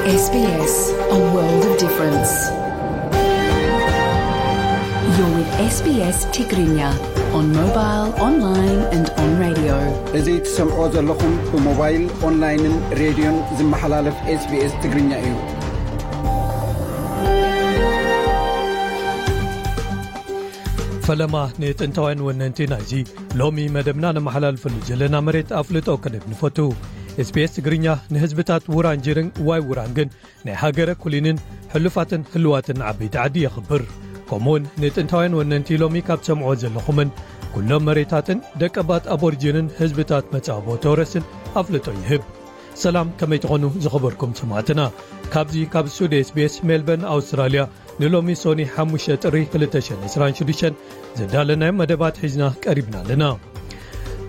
S B S, a world of difference. You're with S B S Tigrinya on mobile, online and on radio. እዚ ትሰምዖ ዘለኹም ብሞባይል፣ ኦንላይንን ሬድዮን ዝመሓላለፍ S B S ትግርኛ እዩ። ፈለማ ንጥንታውያን ወነንቲ ናይዚ ሎሚ መደብና ነመሓላልፈሉ ዘለና መሬት ኣፍልጦ ከነብ ንፈቱ። S B S ትግርኛ ንህዝብታት ውራንጅርን ዋይ ውራንግን ናይ ሃገረ ኩሊንን ሕሉፋትን ህልዋትን ዓበይቲ ዓዲ የኽብር። ከምኡውን ንጥንታውያን ወነንቲ ሎሚ ካብ ትሰምዖ ዘለኹምን ኩሎም መሬታትን ደቀባት ኣቦርጅንን ህዝብታት መጻቦ ተወረስን ኣፍልጦ ይህብ። ሰላም፣ ከመይ ትኾኑ ዝኸበርኩም ሰማዕትና? ካብዚ ካብ ስቱድዮ S B S ሜልበርን ኣውስትራልያ ንሎሚ ሶኒ ሓሙሽተ ጥሪ ክልተ ሽሕን ዕስራን ሽዱሽተን ዘዳለናዮም መደባት ሒዝና ቀሪብና ኣለና።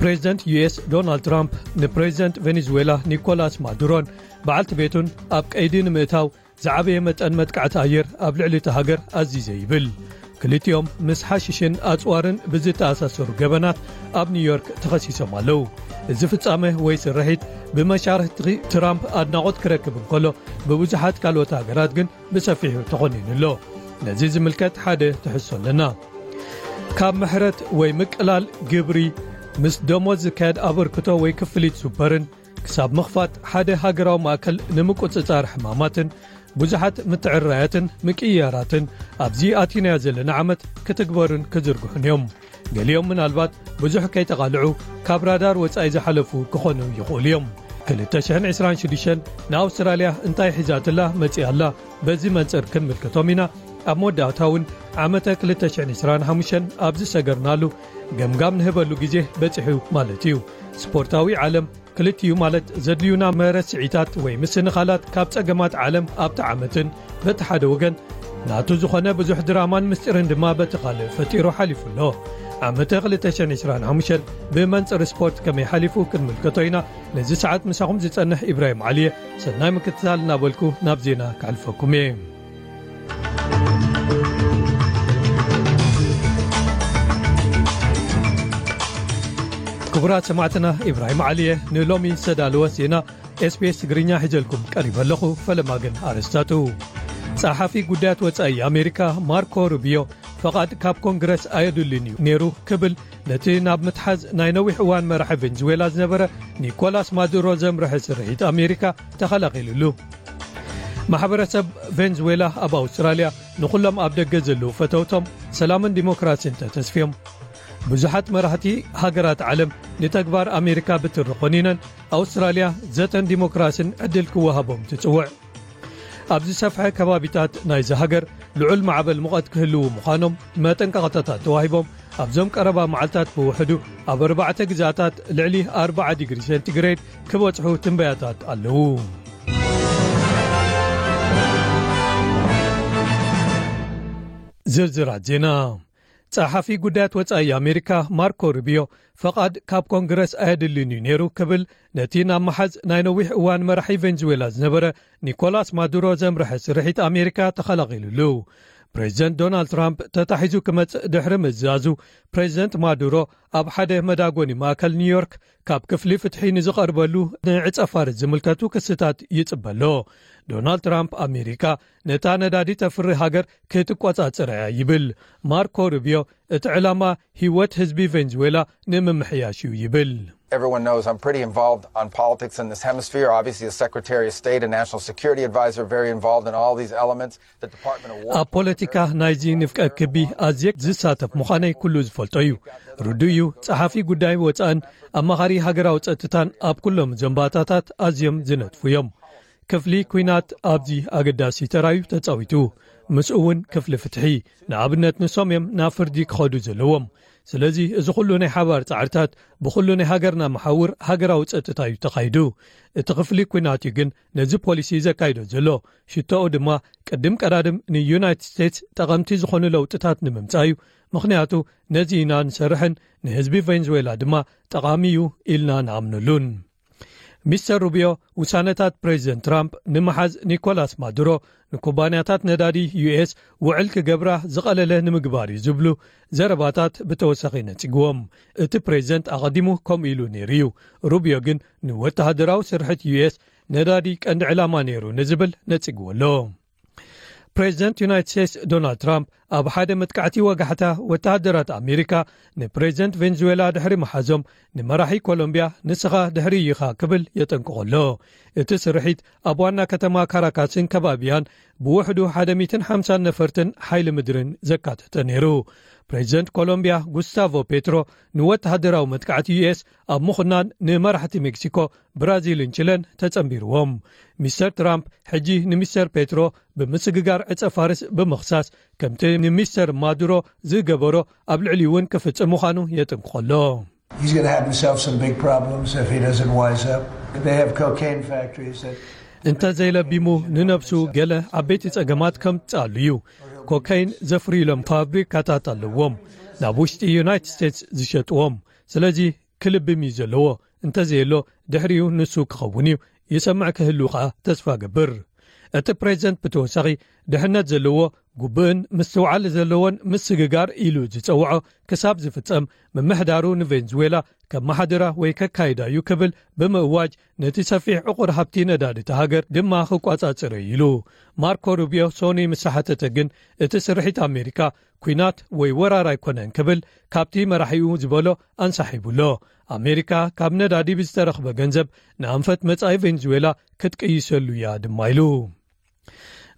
ፕሬዚደንት ዩ ኤስ ዶናልድ ትራምፕ ንፕሬዚደንት ቬኔዙዌላ ኒኮላስ ማዱሮን በዓልቲ ቤቱን ኣብ ቀይዲ ንምእታው ዝዓበየ መጠን መጥቃዕቲ ኣየር ኣብ ልዕሊ እቲ ሃገር ኣዚዘ ይብል። ክልቲኦም ምስ ሓሽሽን ኣጽዋርን ብዝተኣሳሰሩ ገበናት ኣብ ኒውዮርክ ተኸሲሶም ኣለዉ። እዚ ፍጻመ ወይ ስርሒት ብመሻርሕቲ ትራምፕ ኣድናቖት ክረክብ እንከሎ፣ ብብዙሓት ካልኦት ሃገራት ግን ብሰፊሑ ተኾኒኑ ኣሎ። ነዚ ዝምልከት ሓደ ትሕዝቶ ኣለና። ካብ ምሕረት ወይ ምቅላል ግብሪ፣ ምስ ደሞዝ ዝካየድ ኣበርክቶ ወይ ክፍሊት ሱፐርን፣ ክሳብ ምኽፋት ሓደ ሃገራዊ ማእከል ንምቁጽጻር ሕማማትን፣ ብዙሓት ምትዕርራያትን ምቅይያራትን ኣብዚ ኣቲናዮ ዘለና ዓመት ክትግበሩን ክዝርግሑን እዮም። ገሊኦም ምናልባት ብዙሕ ከይተቓልዑ ካብ ራዳር ወጻኢ ዝሓለፉ ክኾኑ ይኽእሉ እዮም። ክልተ ሽሕን ዕስራን ሽዱሽተን ንኣውስትራልያ እንታይ ሒዛትላ መጺኣ ኣላ? በዚ መንጽር ክንምልከቶም ኢና። ኣብ መወዳእታ እውን ዓመተ ክልተ ሽሕን ዕስራን ሓሙሽተን ኣብ ዝሰገርናሉ ገምጋም ንህበሉ ግዜ በጺሑ ማለት እዩ። ስፖርታዊ ዓለም ክልቲኡ ማለት ዘድልዩና መረስዒታት ወይ ምስንኻላት ካብ ጸገማት ዓለም ኣብቲ ዓመትን በቲ ሓደ ወገን ናቱ ዝኾነ ብዙሕ ድራማን ምስጢርን ድማ በቲ ካልእ ፈጢሩ ሓሊፉ ኣሎ። ዓመተ ክልተ ሽሕን ዕስራን ሓሙሽተን ብመንጽር ስፖርት ከመይ ሓሊፉ ክንምልከቶ ኢና። ነዚ ሰዓት ምሳኹም ዝጸንሕ ኢብራሂም ዓሊየ፣ ሰናይ ምክትታል እናበልኩ ናብ ዜና ከሕልፈኩም እየ። ክቡራት ሰማዕትና፣ ኢብራሂም ዓሊየ ንሎሚ ዝተዳለወ ዜና S B S ትግርኛ ሒዘልኩም ቀሪበ ኣለኹ። ፈለማ ግን ኣርእስታቱ። ጸሓፊ ጉዳያት ወጻኢ ኣሜሪካ ማርኮ ሩቢዮ፣ ፈቓድ ካብ ኮንግረስ ኣየድልን እዩ ነይሩ ክብል ነቲ ናብ ምትሓዝ ናይ ነዊሕ እዋን መራሒ ቬንዙዌላ ዝነበረ ኒኮላስ ማዱሮ ዘምርሐ ስርሒት ኣሜሪካ ተኸላኺሉሉ። ማሕበረሰብ ቬንዙዌላ ኣብ ኣውስትራልያ ንኹሎም ኣብ ደገ ዘለዉ ፈተውቶም ሰላምን ዲሞክራሲን ተተስፍዮም። ብዙሓት መራሕቲ ሃገራት ዓለም ንተግባር ኣሜሪካ ብትሪ ኾኒነን፣ ኣውስትራልያ ዘተን ዲሞክራሲን ዕድል ክወሃቦም ትጽውዕ። ኣብ ዝሰፍሐ ከባቢታት ናይዚ ሃገር ልዑል ማዕበል ሙቐት ክህልዉ ምዃኖም መጠንቀቕታታት ተዋሂቦም፣ ኣብዞም ቀረባ መዓልታት ብውሕዱ ኣብ ኣርባዕተ ግዛታት ልዕሊ ኣርብዓ ዲግሪ ሴንቲግሬድ ክበጽሑ ትንበያታት ኣለዉ። ዝርዝራት ዜና። ጸሓፊ ጉዳያት ወጻኢ ኣሜሪካ ማርኮ ሩቢዮ፣ ፈቓድ ካብ ኮንግረስ ኣየድልን እዩ ነይሩ ክብል ነቲ ናብ መሓዝ ናይ ነዊሕ እዋን መራሒ ቬንዙዌላ ዝነበረ ኒኮላስ ማዱሮ ዘምርሐ ስርሒት ኣሜሪካ ተኸላኺሉሉ። ፕሬዚደንት ዶናልድ ትራምፕ ተታሒዙ ክመጽእ ድሕሪ ምእዛዙ፣ ፕሬዚደንት ማዱሮ ኣብ ሓደ መዳጎኒ ማእከል ኒውዮርክ ካብ ክፍሊ ፍትሒ ንዝቐርበሉ ንዕጸፋርስ ዝምልከቱ ክስታት ይጽበ ኣሎ። ዶናልድ ትራምፕ ኣሜሪካ ነታ ነዳዲ ተፍሪ ሃገር ክትቆጻጸር እያ ይብል። ማርኮ ሩቢዮ፣ እቲ ዕላማ ህይወት ህዝቢ ቬንዙዌላ ንምምሕያሽ እዩ ይብል። Everyone knows I'm pretty involved on politics in this hemisphere. Obviously, as Secretary of State and National Security Advisor, very involved in all these elements. The Department of War ኣብ ፖለቲካ ናይዚ ንፍቀ ክቢ ኣዝየ ዝሳተፍ ምዃነይ ኩሉ ዝፈልጦ እዩ። ርዱእ እዩ፣ ጸሓፊ ጉዳይ ወጻእን ኣማኻሪ ሃገራዊ ጸጥታን ኣብ ኩሎም ዘንባታታት ኣዝዮም ዝነጥፉ እዮም። ክፍሊ ኲናት ኣብዚ ኣገዳሲ ተራዩ ተጻዊቱ። ምስኡ እውን ክፍሊ ፍትሒ። ንኣብነት ንሶም እዮም ናብ ፍርዲ ክኸዱ ዘለዎም። ስለዚ እዚ ኩሉ ናይ ሓባር ጻዕርታት ብኩሉ ናይ ሃገርና መሓውር ሃገራዊ ጸጥታ እዩ ተኻይዱ። እቲ ክፍሊ ኲናት እዩ ግን ነዚ ፖሊሲ ዘካይዶ ዘሎ። ሽቶኡ ድማ ቅድም ቀዳድም ንዩናይትድ ስቴትስ ጠቐምቲ ዝኾኑ ለውጥታት ንምምጻእ እዩ። ምኽንያቱ ነዚ ኢና ንሰርሕን ንህዝቢ ቬንዙዌላ ድማ ጠቓሚ እዩ ኢልና ንኣምነሉን። ሚስተር ሩቢዮ፣ ውሳነታት ፕሬዚደንት ትራምፕ ንምሓዝ ኒኮላስ ማዱሮ ንኩባንያታት ነዳዲ ዩ ኤስ ውዕል ክገብራ ዝቐለለ ንምግባር እዩ ዝብሉ ዘረባታት ብተወሳኺ ነጺግዎም። እቲ ፕሬዚደንት ኣቐዲሙ ከምኡ ኢሉ ነይሩ እዩ። ሩቢዮ ግን ንወተሃደራዊ ስርሕት ዩ ኤስ ነዳዲ ቀንዲ ዕላማ ነይሩ ንዝብል ነጺግዎ ኣሎ። ፕሬዚደንት ዩናይትድ ስቴትስ ዶናልድ ትራምፕ ኣብ ሓደ መጥቃዕቲ ወጋሕታ ወተሃደራት ኣሜሪካ ንፕሬዚደንት ቬንዙዌላ ድሕሪ መሓዞም፣ ንመራሒ ኮሎምቢያ ንስኻ ድሕሪ ኢኻ ክብል የጠንቅቖ ኣሎ። እቲ ስርሒት ኣብ ዋና ከተማ ካራካስን ከባቢያን ብውሕዱ ሓደ ሚእትን ሓምሳን ነፈርትን ሓይሊ ምድርን ዘካተተ ነይሩ። ፕሬዚደንት ኮሎምቢያ ጉስታቮ ፔትሮ ንወተሃደራዊ መጥቃዕቲ ዩ ኤስ ኣብ ምኹናን ንመራሕቲ ሜክሲኮ፣ ብራዚልን ቺለን ተጸንቢርዎም። ሚስተር ትራምፕ ሕጂ ንሚስተር ፔትሮ ብምስግጋር ዕጸ ፋርስ ብምኽሳስ፣ ከምቲ ንሚስተር ማዱሮ ዝገበሮ ኣብ ልዕሊ እውን ክፍጽም ምዃኑ የጥንቅቖ ኣሎ። He's going to have himself some big problems if he doesn't wise up. They have cocaine factories that እንተ ዘይለቢሙ ንነብሱ ገለ ዓበይቲ ጸገማት ከምጽኣሉ እዩ። ኮካይን ዘፍርዩሎም ፋብሪካታት ኣለዎም፣ ናብ ውሽጢ ዩናይትድ ስቴትስ ዝሸጥዎም። ስለዚ ክልብም እዩ ዘለዎ። እንተ ዘየሎ ድሕሪኡ ንሱ ክኸውን እዩ። ይሰምዕ ክህሉ ከኣ ተስፋ ገብር። እቲ ፕሬዚደንት ብተወሳኺ ድሕነት ዘለዎ፣ ጉብእን ምስትውዓል ዘለዎን ምስግጋር ኢሉ ዝጸውዖ ክሳብ ዝፍጸም፣ ምምሕዳሩ ንቬንዙዌላ ከመሓድራ ወይ ከካይዳ እዩ ክብል ብምእዋጅ፣ ነቲ ሰፊሕ ዕቑር ሃብቲ ነዳዲ እታ ሃገር ድማ ክቋጻጽር እዩ ኢሉ። ማርኮ ሩቢዮ ሶኒ ምስ ሓተተ ግን፣ እቲ ስርሒት ኣሜሪካ ኲናት ወይ ወራር ኣይኮነን ክብል ካብቲ መራሒኡ ዝበሎ ኣንሳሒቡ ኣሎ። ኣሜሪካ ካብ ነዳዲ ብዝተረኽበ ገንዘብ ንኣንፈት መጻኢ ቬንዙዌላ ክትቅይሰሉ እያ ድማ ኢሉ።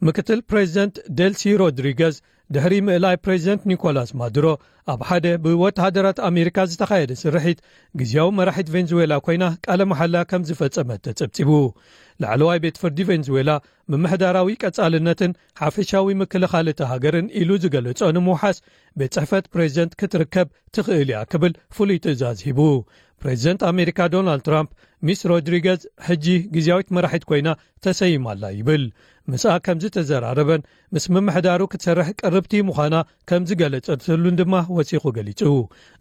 ምክትል ፕሬዚደንት ደልሲ ሮድሪገዝ ድሕሪ ምእላይ ፕሬዚደንት ኒኮላስ ማዱሮ ኣብ ሓደ ብወተሃደራት ኣሜሪካ ዝተኻየደ ስርሒት፣ ግዝያዊ መራሒት ቬንዙዌላ ኮይና ቃለ መሓላ ከም ዝፈጸመት ተጸብጺቡ። ላዕለዋይ ቤት ፍርዲ ቬንዙዌላ ምምሕዳራዊ ቀጻልነትን ሓፈሻዊ ምክልኻል እታ ሃገርን ኢሉ ዝገለጾ ንምውሓስ፣ ቤት ጽሕፈት ፕሬዚደንት ክትርከብ ትኽእል እያ ክብል ፍሉይ ትእዛዝ ሂቡ። ፕሬዚደንት ኣሜሪካ ዶናልድ ትራምፕ፣ ሚስ ሮድሪገዝ ሕጂ ግዝያዊት መራሒት ኮይና ተሰይማ ኣላ ይብል። ምስኣ ከም ዝተዘራረበን ምስ ምምሕዳሩ ክትሰርሕ ቅርብቲ ምዃና ከም ዝገለጸትሉን ድማ ወሲኹ ገሊጹ።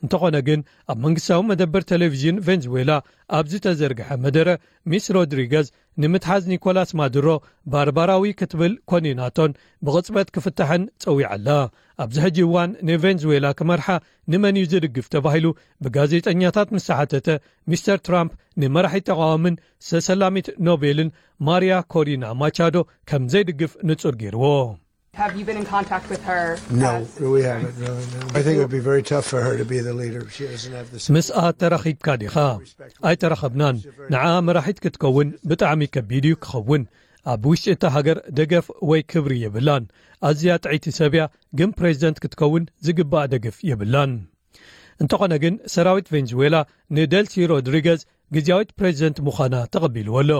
እንተኾነ ግን፣ ኣብ መንግስታዊ መደበር ቴሌቪዥን ቬንዙዌላ ኣብ ዝተዘርግሐ መደረ፣ ሚስ ሮድሪገዝ ንምትሓዝ ኒኮላስ ማዱሮ ባርባራዊ ክትብል ኮኒናቶን ብቕጽበት ክፍታሕን ጸዊዓ ኣላ። ኣብዚ ሕጂ እዋን ንቬንዙዌላ ክመርሓ ንመን እዩ ዝድግፍ ተባሂሉ ብጋዜጠኛታት ምስ ተሓተተ፣ ሚስተር ትራምፕ ንመራሒ ተቓዋምን ሰሰላሚት ኖቤልን ማሪያ ኮሪና ማቻዶ ከም ዘይድግፍ ንጹር ገይርዎ። Have you been in contact with her? No, we haven't really. No. I think it would be very tough for her to be the leader. She doesn't have the ምስኣ ተራኺብካ ዲኻ? ኣይተራኸብናን። ንዓ መራሒት ክትከውን ብጣዕሚ ከቢድ እዩ ክኸውን። ኣብ ውሽጢ እታ ሃገር ደገፍ ወይ ክብሪ የብላን። ኣዝያ ጥዕይቲ ሰብ እያ፣ ግን ፕሬዚደንት ክትከውን ዝግባእ ደገፍ የብላን። እንተኾነ ግን፣ ሰራዊት ቬንዙዌላ ንደልሲ ሮድሪገዝ ግዝያዊት ፕሬዚደንት ምዃና ተቐቢልዎ ኣሎ።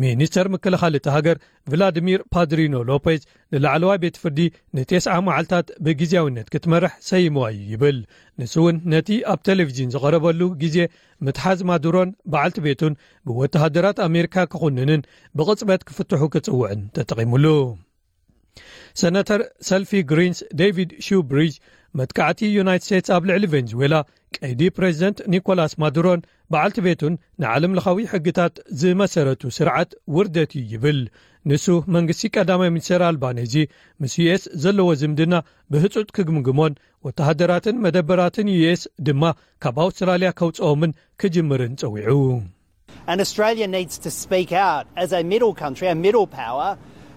ሚኒስተር ምክልኻል እታ ሃገር ቭላድሚር ፓድሪኖ ሎፔዝ ንላዕለዋይ ቤት ፍርዲ ንቴስዓ መዓልታት ብግዝያውነት ክትመርሕ ሰይምዋ እዩ ይብል። ንሱ እውን ነቲ ኣብ ቴሌቪዥን ዝቐረበሉ ግዜ፣ ምትሓዝ ማዱሮን በዓልቲ ቤቱን ብወተሃደራት ኣሜሪካ ክኹንንን ብቕጽበት ክፍትሑ ክጽውዕን ተጠቒሙሉ። ሰነተር ሰልፊ ግሪንስ ዴቪድ ሹብሪጅ፣ መጥቃዕቲ ዩናይትድ ስቴትስ ኣብ ልዕሊ ቬንዙዌላ ቀይዲ ፕሬዚደንት ኒኮላስ ማዱሮን በዓልቲ ቤቱን ንዓለም ለኻዊ ሕግታት ዝመሰረቱ ስርዓት ውርደት እዩ ይብል። ንሱ መንግስቲ ቀዳማይ ሚኒስትር ኣልባኔዚ ምስ ዩ ኤስ ዘለዎ ዝምድና ብህጹጽ ክግምግሞን ወተሃደራትን መደበራትን ዩ ኤስ ድማ ካብ ኣውስትራልያ ከውጽኦምን ክጅምርን ጸዊዑ። And Australia needs to speak out as a middle country, a middle power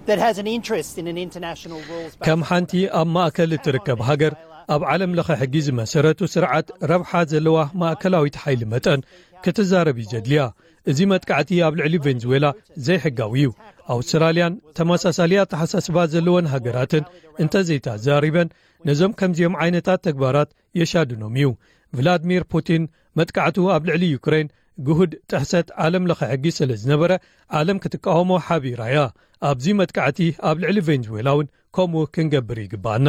that has an interest in an international rules based ከም ሓንቲ ኣብ ማእከል እትርከብ ሃገር፣ ኣብ ዓለም ለኸ ሕጊ ዝመሰረቱ ስርዓት ረብሓ ዘለዋ ማእከላዊት ሓይሊ መጠን ክትዛረብ እዩ ዘድልያ። እዚ መጥቃዕቲ ኣብ ልዕሊ ቬንዙዌላ ዘይሕጋዊ እዩ። ኣውስትራልያን ተመሳሳሊ ኣተሓሳስባ ዘለወን ሃገራትን እንተዘይተዛሪበን፣ ነዞም ከምዚኦም ዓይነታት ተግባራት የሻድኖም እዩ። ቭላድሚር ፑቲን፣ መጥቃዕቱ ኣብ ልዕሊ ዩክሬን ግሁድ ጥሕሰት ዓለም ለኸ ሕጊ ስለ ዝነበረ፣ ዓለም ክትቃወሞ ሓቢራ እያ። ኣብዚ መጥቃዕቲ ኣብ ልዕሊ ቬንዙዌላ እውን ከምኡ ክንገብር ይግባኣና።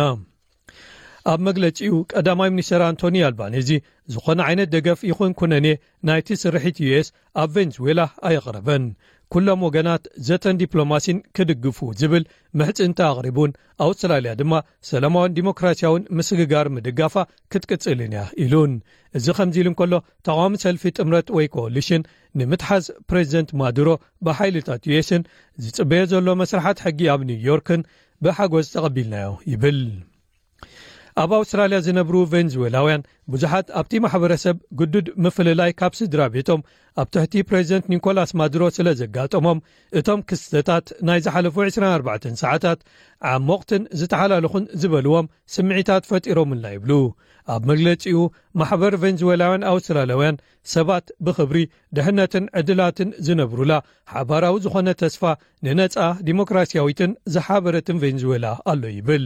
ኣብ መግለጺኡ፣ ቀዳማይ ሚኒስተር ኣንቶኒ ኣልባኔዚ፣ ዝኾነ ዓይነት ደገፍ ይኹን ኩነኔ ናይቲ ስርሒት ዩ ኤስ ኣብ ቬንዙዌላ ኣየቕረበን። ኩሎም ወገናት ዘተን ዲፕሎማሲን ክድግፉ ዝብል ምሕጽንታ ኣቕሪቡን፣ ኣውስትራልያ ድማ ሰላማውን ዲሞክራሲያውን ምስግጋር ምድጋፋ ክትቅጽልን እያ ኢሉን። እዚ ከምዚ ኢሉ እንከሎ፣ ተቓዋሚ ሰልፊ ጥምረት ወይ ኮሊሽን ንምትሓዝ ፕሬዚደንት ማዱሮ ብሓይልታት ዩ ኤስን ዝጽበዮ ዘሎ መስርሓት ሕጊ ኣብ ኒውዮርክን ብሓጎስ ተቐቢልናዮ ይብል። ኣብ ኣውስትራልያ ዝነብሩ ቬንዙዌላውያን፣ ብዙሓት ኣብቲ ማሕበረሰብ ግዱድ ምፍልላይ ካብ ስድራ ቤቶም ኣብ ትሕቲ ፕሬዚደንት ኒኮላስ ማዱሮ ስለ ዘጋጠሞም፣ እቶም ክስተታት ናይ ዝሓለፉ ዕስራን ኣርባዕተን ሰዓታት ዓሞቕትን ዝተሓላለኹን ዝበልዎም ስምዒታት ፈጢሮምልና ይብሉ። ኣብ መግለጺኡ፣ ማሕበር ቬንዙዌላውያን ኣውስትራልያውያን ሰባት ብኽብሪ፣ ድሕነትን ዕድላትን ዝነብሩላ ሓባራዊ ዝኾነ ተስፋ ንነጻ ዲሞክራሲያዊትን ዝሓበረትን ቬንዙዌላ ኣሎ ይብል።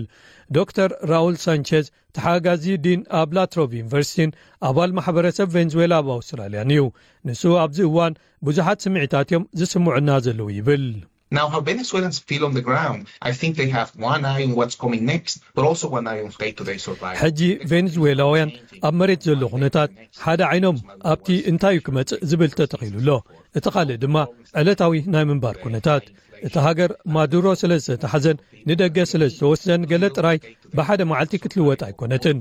ዶክተር ራውል ሳንቼዝ፣ ተሓጋዚ ዲን ኣብ ላትሮቭ ዩኒቨርሲቲን ኣባል ማሕበረሰብ ቬንዙዌላ ኣብ ኣውስትራልያን እዩ። ንሱ ኣብዚ እዋን ብዙሓት ስምዒታት እዮም ዝስምዑና ዘለዉ ይብል። Now, how Venezuelans feel on the ground, I think they have one eye on what's coming next, but also one eye on day-to-day survival. ሕጂ ቬንዙዌላውያን ኣብ መሬት ዘሎ ኩነታት፣ ሓደ ዓይኖም ኣብቲ እንታይ እዩ ክመጽእ ዝብል ተተኺሉ ኣሎ፣ እቲ ካልእ ድማ ዕለታዊ ናይ ምንባር ኩነታት። እቲ ሃገር ማዱሮ ስለ ዝተታሕዘን ንደገ ስለ ዝተወስደን ገለ ጥራይ ብሓደ መዓልቲ ክትልወጥ ኣይኮነትን።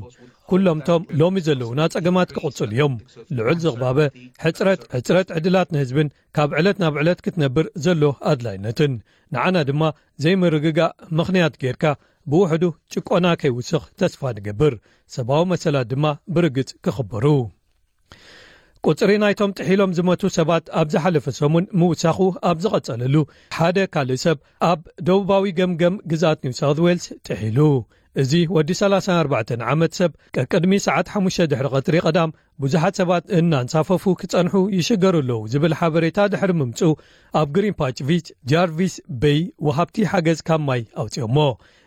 ኩሎምቶም ሎሚ ዘለዉና ጸገማት ክቕጽሉ እዮም። ልዑል ዝቕባበ፣ ሕጽረት፣ ሕጽረት ዕድላት ንህዝብን ካብ ዕለት ናብ ዕለት ክትነብር ዘሎ ኣድላይነትን፣ ንዓና ድማ ዘይምርግጋእ ምኽንያት ጌርካ ብውሕዱ ጭቆና ከይውስኽ ተስፋ ንገብር። ሰብኣዊ መሰላት ድማ ብርግጽ ክኽበሩ። ቁጽሪ ናይቶም ጥሒሎም ዝመቱ ሰባት ኣብ ዝሓለፈ ሰሙን ምውሳኹ ኣብ ዝቐጸለሉ፣ ሓደ ካልእ ሰብ ኣብ ደቡባዊ ገምገም ግዝኣት ኒው ሳውት ዌልስ ጥሒሉ። እዚ ወዲ ሰላሳን ኣርባዕተን ዓመት ሰብ ቀቅድሚ ሰዓት ሓሙሽተ ድሕሪ ቀትሪ ቀዳም ብዙሓት ሰባት እናንሳፈፉ ክጸንሑ ይሽገሩ ኣለዉ ዝብል ሓበሬታ ድሕሪ ምምጽኡ፣ ኣብ ግሪን ፓች ቪች ጃርቪስ ቤይ ወሃብቲ ሓገዝ ካብ ማይ ኣውጺኦሞ።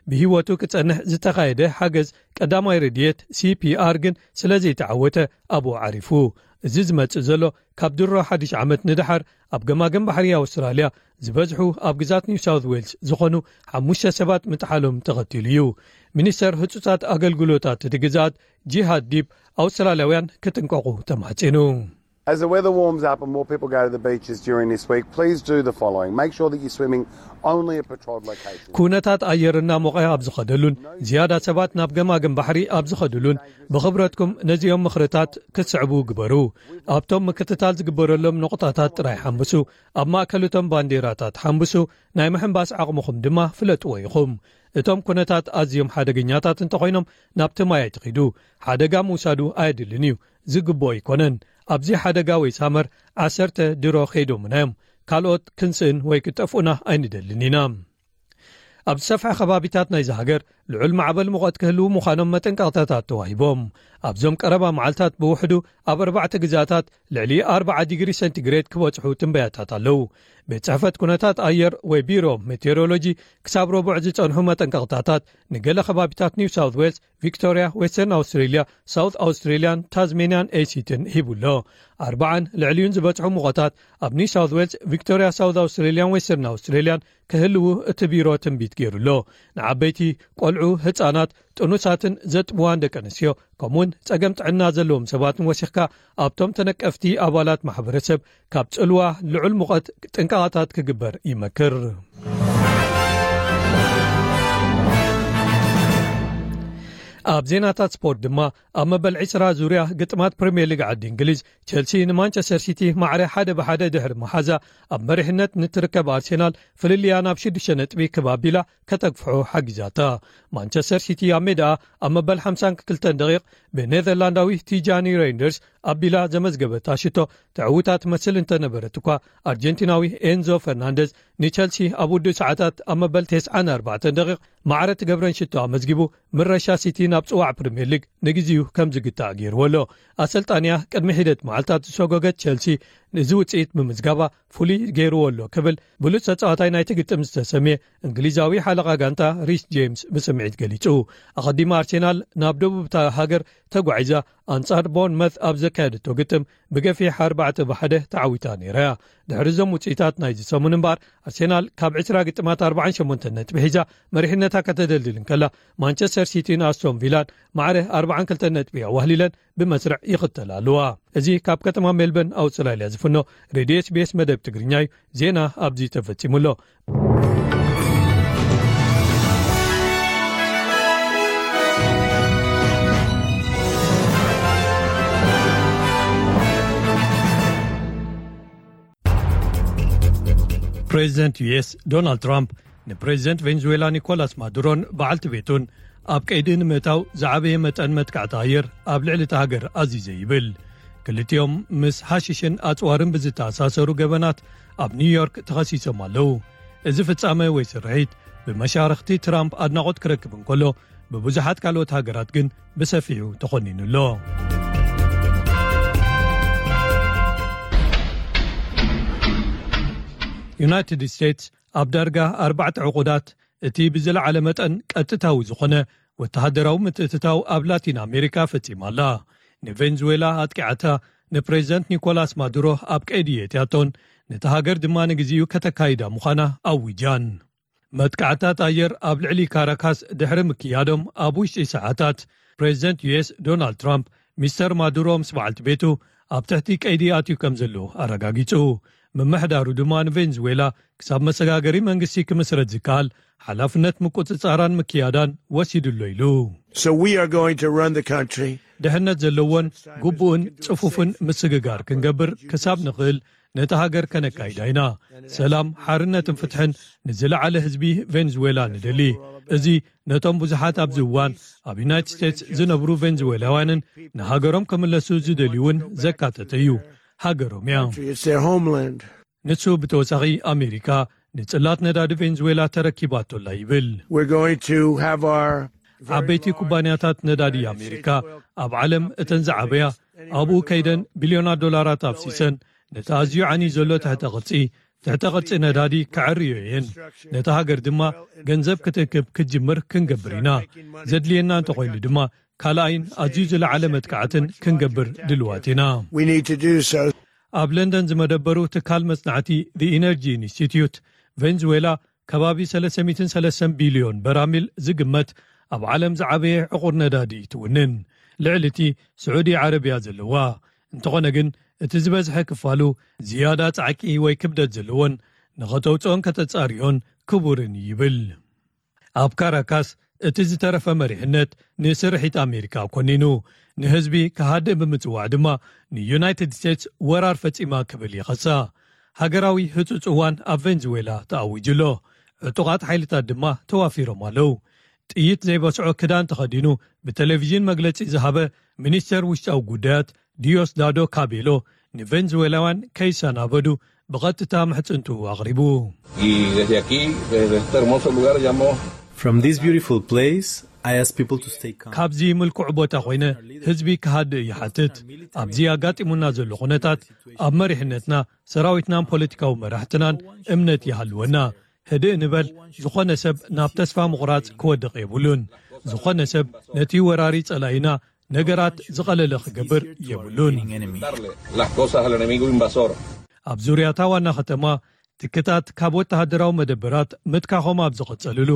ብህይወቱ ክጸንሕ ዝተኻየደ ሓገዝ ቀዳማይ ረድኤት፣ ሲ ፒ ኣር፣ ግን ስለ ዘይተዓወተ ኣብኡ ዓሪፉ። እዚ ዝመጽእ ዘሎ ካብ ድሮ ሓድሽ ዓመት ንደሓር ኣብ ገማግም ባሕሪ ኣውስትራልያ ዝበዝሑ ኣብ ግዛት ኒው ሳውት ዌልስ ዝኾኑ ሓሙሽተ ሰባት ምጥሓሎም ተኸቲሉ እዩ። ሚኒስተር ህጹጻት ኣገልግሎታት እቲ ግዛት ጂሃድ ዲብ ኣውስትራልያውያን ክጥንቀቑ ተማሕጺኑ። As the weather warms up and more people go to the beaches during this week, please do the following. Make sure that you're swimming only at patrolled locations. ኩነታት ኣየር እናሞቐ ኣብ ዝኸደሉን ዝያዳ ሰባት ናብ ገማግም ባሕሪ ኣብ ዝኸድሉን ብኽብረትኩም ነዚኦም ምኽርታት ክትስዕቡ ግበሩ። ኣብቶም ምክትታል ዝግበረሎም ነቑጣታት ጥራይ ሓምብሱ። ኣብ ማእከል እቶም ባንዴራታት ሓምብሱ። ናይ ምሕንባስ ዓቕምኹም ድማ ፍለጥዎ ኢኹም። እቶም ኩነታት ኣዝዮም ሓደገኛታት እንተኾይኖም ናብቲ ማይ ኣይትኺዱ። ሓደጋ ምውሳዱ ኣየድልን እዩ። ዝግብኦ ኣይኮነን። ኣብዚ ሓደጋ ወይ ሳመር ዓሰርተ ድሮ ከይዶምና እዮም። ካልኦት ክንስእን ወይ ክጠፍኡና ኣይንደልን ኢና። ኣብ ዝሰፍሐ ከባቢታት ናይዚ ሃገር ልዑል ማዕበል ሙቐት ክህልዉ ምዃኖም መጠንቀቕታታት ተዋሂቦም። ኣብዞም ቀረባ መዓልታት ብውሕዱ ኣብ ኣርባዕተ ግዛታት ልዕሊ ኣርብዓ ዲግሪ ሴንቲግሬድ ክበጽሑ ትንበያታት ኣለዉ። ቤት ጽሕፈት ኩነታት ኣየር ወይ ቢሮ ሜቴሮሎጂ ክሳብ ረቡዕ ዝጸንሑ መጠንቀቕታታት ንገለ ከባቢታት ኒው ሳውት ዌልስ፣ ቪክቶርያ፣ ዌስተርን ኣውስትሬልያ፣ ሳውት ኣውስትሬልያን ታዝሜንያን ኤሲትን ሂቡ ኣሎ። ኣርባዓን ልዕሊኡን ዝበጽሑ ሙቐታት ኣብ ኒው ሳውት ዌልስ፣ ቪክቶርያ፣ ሳውት ኣውስትሬልያን ዌስተርን ኣውስትሬልያን ክህልዉ እቲ ቢሮ ትንቢት ገይሩ ኣሎ። ንዓበይቲ፣ ቆልዑ፣ ህጻናት፣ ጥኑሳትን ዘጥብዋን ደቂ ኣንስትዮ፣ ከምኡውን ጸገም ጥዕና ዘለዎም ሰባትን ወሲኽካ ኣብቶም ተነቀፍቲ ኣባላት ማሕበረሰብ ካብ ጽልዋ ልዑል ሙቐት ጥንቃቐታት ክግበር ይመክር። ኣብ ዜናታት ስፖርት ድማ፣ ኣብ መበል ዕስራ ዙርያ ግጥማት ፕሪምየር ሊግ ዓዲ እንግሊዝ፣ ቸልሲ ንማንቸስተር ሲቲ ማዕረ ሓደ ብሓደ ድሕሪ መሓዛ፣ ኣብ መሪሕነት ንትርከብ ኣርሴናል ፍልልያ ናብ ሽዱሽተ ነጥቢ ክብ ኣቢላ ከተግፍሖ ሓጊዛታ። ማንቸስተር ሲቲ ኣብ ሜዳ ኣብ መበል ሓምሳን ክልተን ደቂቕ ብኔዘርላንዳዊ ቲጃኒ ሬይንደርስ ኣቢላ ዘመዝገበታ ሽቶ ትዕውታ ትመስል እንተነበረት እኳ፣ ኣርጀንቲናዊ ኤንዞ ፈርናንደዝ ንቸልሲ ኣብ ውዱእ ሰዓታት ኣብ መበል ተስዓን ኣርባዕተን ደቂቕ ማዕረ ትገብረን ሽቶ ኣመዝጊቡ፣ ምረሻ ሲቲ ናብ ጽዋዕ ፕሪምየር ሊግ ንግዜኡ ከም ዝግታእ ገይርዎ ኣሎ። ኣሰልጣንያ ቅድሚ ሒደት መዓልታት ዝሰጎገት ቸልሲ፣ ነዚ ውጽኢት ብምዝጋባ ፍሉይ ገይርዎ ኣሎ ክብል ብሉጽ ተጻዋታይ ናይቲ ግጥም ዝተሰምየ እንግሊዛዊ ሓለቓ ጋንታ ሪስ ጄምስ ብስምዒት ገሊጹ። ኣቐዲማ ኣርሴናል ናብ ደቡብ እታ ሃገር ተጓዒዛ ኣንጻር ቦርንመዝ ኣብ ዘካየደቶ ግጥም ብገፊሕ ኣርባዕተ ብሓደ ተዓዊታ ነይራ እያ። ድሕሪ እዞም ውጽኢታት ናይዚ ሰሙን እምበኣር፣ ኣርሴናል ካብ ዕስራ ግጥማት ኣርባዓን ሸሞንተን ነጥቢ ሒዛ መሪሕነታ ከተደልድል እንከላ፣ ማንቸስተር ሲቲን ኣስቶን ቪላን ማዕረ ኣርባዓን ክልተን ነጥቢ ኣዋህሊለን ብመስርዕ ይኽተላ ኣለዋ። እዚ ካብ ከተማ ሜልበርን ኣውስትራልያ ዝፍኖ ሬድዮ ኤስ ቢ ኤስ መደብ ትግርኛ እዩ። ዜና ኣብዚ ተፈጺሙ ኣሎ። ፕሬዚደንት ዩ ኤስ ዶናልድ ትራምፕ ንፕሬዚደንት ቬንዙዌላ ኒኮላስ ማዱሮን በዓልቲ ቤቱን ኣብ ቀይዲ ንምእታው ዝዓበየ መጠን መጥቃዕቲ ኣየር ኣብ ልዕሊ እታ ሃገር ኣዚዘ ይብል። ክልቲኦም ምስ ሃሽሽን ኣጽዋርን ብዝተኣሳሰሩ ገበናት ኣብ ኒውዮርክ ተኸሲሶም ኣለዉ። እዚ ፍጻመ ወይ ስርሒት ብመሻርኽቲ ትራምፕ ኣድናቖት ክረክብ እንከሎ፣ ብብዙሓት ካልኦት ሃገራት ግን ብሰፊሑ ተኾኒኑ ኣሎ። ዩናይትድ ስቴትስ ኣብ ዳርጋ ኣርባዕተ ዕቑዳት እቲ ብዝለዓለ መጠን ቀጥታዊ ዝኾነ ወተሃደራዊ ምትእትታው ኣብ ላቲን ኣሜሪካ ፈጺማ ኣላ። ንቬንዙዌላ ኣጥቂዓታ፣ ንፕሬዚደንት ኒኮላስ ማዱሮ ኣብ ቀይዲ የእትያቶን ነታ ሃገር ድማ ንግዜኡ ከተካይዳ ምዃና ኣዊጃን። መጥቃዕታት ኣየር ኣብ ልዕሊ ካራካስ ድሕሪ ምክያዶም ኣብ ውሽጢ ሰዓታት፣ ፕሬዚደንት ዩ ኤስ ዶናልድ ትራምፕ ሚስተር ማዱሮ ምስ በዓልቲ ቤቱ ኣብ ትሕቲ ቀይዲ ኣትዩ ከም ዘሎ ኣረጋጊጹ። ምምሕዳሩ ድማ ንቬንዙዌላ ክሳብ መሰጋገሪ መንግስቲ ክምስረት ዝከኣል ሓላፍነት ምቁጽጻራን ምክያዳን ወሲዱ ኣሎ ኢሉ። So we are going to run the country. ድሕነት ዘለዎን ግቡእን ጽፉፍን ምስግጋር ክንገብር ክሳብ ንኽእል ነታ ሃገር ከነካይዳ ኢና። ሰላም፣ ሓርነትን ፍትሕን ንዝለዓለ ህዝቢ ቬንዙዌላ ንደሊ። እዚ ነቶም ብዙሓት ኣብዚ እዋን ኣብ ዩናይትድ ስቴትስ ዝነብሩ ቬንዙዌላውያንን ንሃገሮም ክምለሱ ዝደልዩ እውን ዘካተተ እዩ። ሃገሮም እያ። It's their homeland. ንሱ ብተወሳኺ ኣሜሪካ ንጽላት ነዳዲ ቬንዙዌላ ተረኪባቶላ ይብል። We're going to have our ዓበይቲ ኩባንያታት ነዳዲ ኣሜሪካ ኣብ ዓለም እተን ዝዓበያ ኣብኡ ከይደን ቢልዮናት ዶላራት ኣፍሲሰን ነቲ ኣዝዩ ዓኒ ዘሎ ትሕተ ቅርጺ ትሕተ ቅርጺ ነዳዲ ክዕርዮ እየን። ነታ ሃገር ድማ ገንዘብ ክትእክብ ክትጅምር ክንገብር ኢና። ዘድልየና እንተኾይኑ ድማ ካልኣይን ኣዝዩ ዝለዓለ መጥቃዕትን ክንገብር ድልዋት ኢና። We need to do so. ኣብ ለንደን ዝመደበሩ ትካል መጽናዕቲ The Energy Institute፣ ቬንዙዌላ ከባቢ ሰለስተ ሚእትን ሰለስተን ቢልዮን በራሚል ዝግመት ኣብ ዓለም ዝዓበየ ዕቑር ነዳዲ ትውንን። ልዕሊ እቲ ስዑዲ ዓረብያ ዘለዋ እንተኾነ ግን፣ እቲ ዝበዝሐ ክፋሉ ዝያዳ ጻዕቂ ወይ ክብደት ዘለዎን ንኸተውጽኦን ከተጻርዮን ክቡርን እዩ ይብል። ኣብ ካራካስ እቲ ዝተረፈ መሪሕነት ንስርሒት ኣሜሪካ ኮኒኑ፣ ንህዝቢ ክሃድእ ብምጽዋዕ ድማ ንዩናይትድ ስቴትስ ወራር ፈጺማ ክብል ይኸሳ። ሃገራዊ ህጹጽ እዋን ኣብ ቬንዙዌላ ተኣዊጁ ኣሎ። ዕጡቓት ሓይልታት ድማ ተዋፊሮም ኣለዉ። ጥይት ዘይበስዖ ክዳን ተኸዲኑ ብቴሌቪዥን መግለጺ ዝሃበ ሚኒስተር ውሽጣዊ ጉዳያት ዲዮስዳዶ ካቤሎ፣ ንቬንዙዌላውያን ከይሰናበዱ ብቐጥታ ምሕጽንቱ ኣቕሪቡ። Y desde aquí, desde este hermoso lugar, llamo From this beautiful place, I ask people to stay calm. ካብዚ ምልኩዕ ቦታ ኮይነ ህዝቢ ክሃድእ ይሓትት። ኣብዚ ኣጋጢሙና ዘሎ ኩነታት ኣብ መሪሕነትና፣ ሰራዊትናን ፖለቲካዊ መራሕትናን እምነት ይሃልወና። ህድእ ንበል። ዝኾነ ሰብ ናብ ተስፋ ምቑራጽ ክወድቕ የብሉን። ዝኾነ ሰብ ነቲ ወራሪ ጸላኢና ነገራት ዝቐለለ ክገብር የብሉን። Darle las cosas al enemigo invasor. ኣብ ዙርያታ ዋና ከተማ ትክታት ካብ ወተሃደራዊ መደበራት ምትካኾም ኣብ ዝቐጸልሉ፣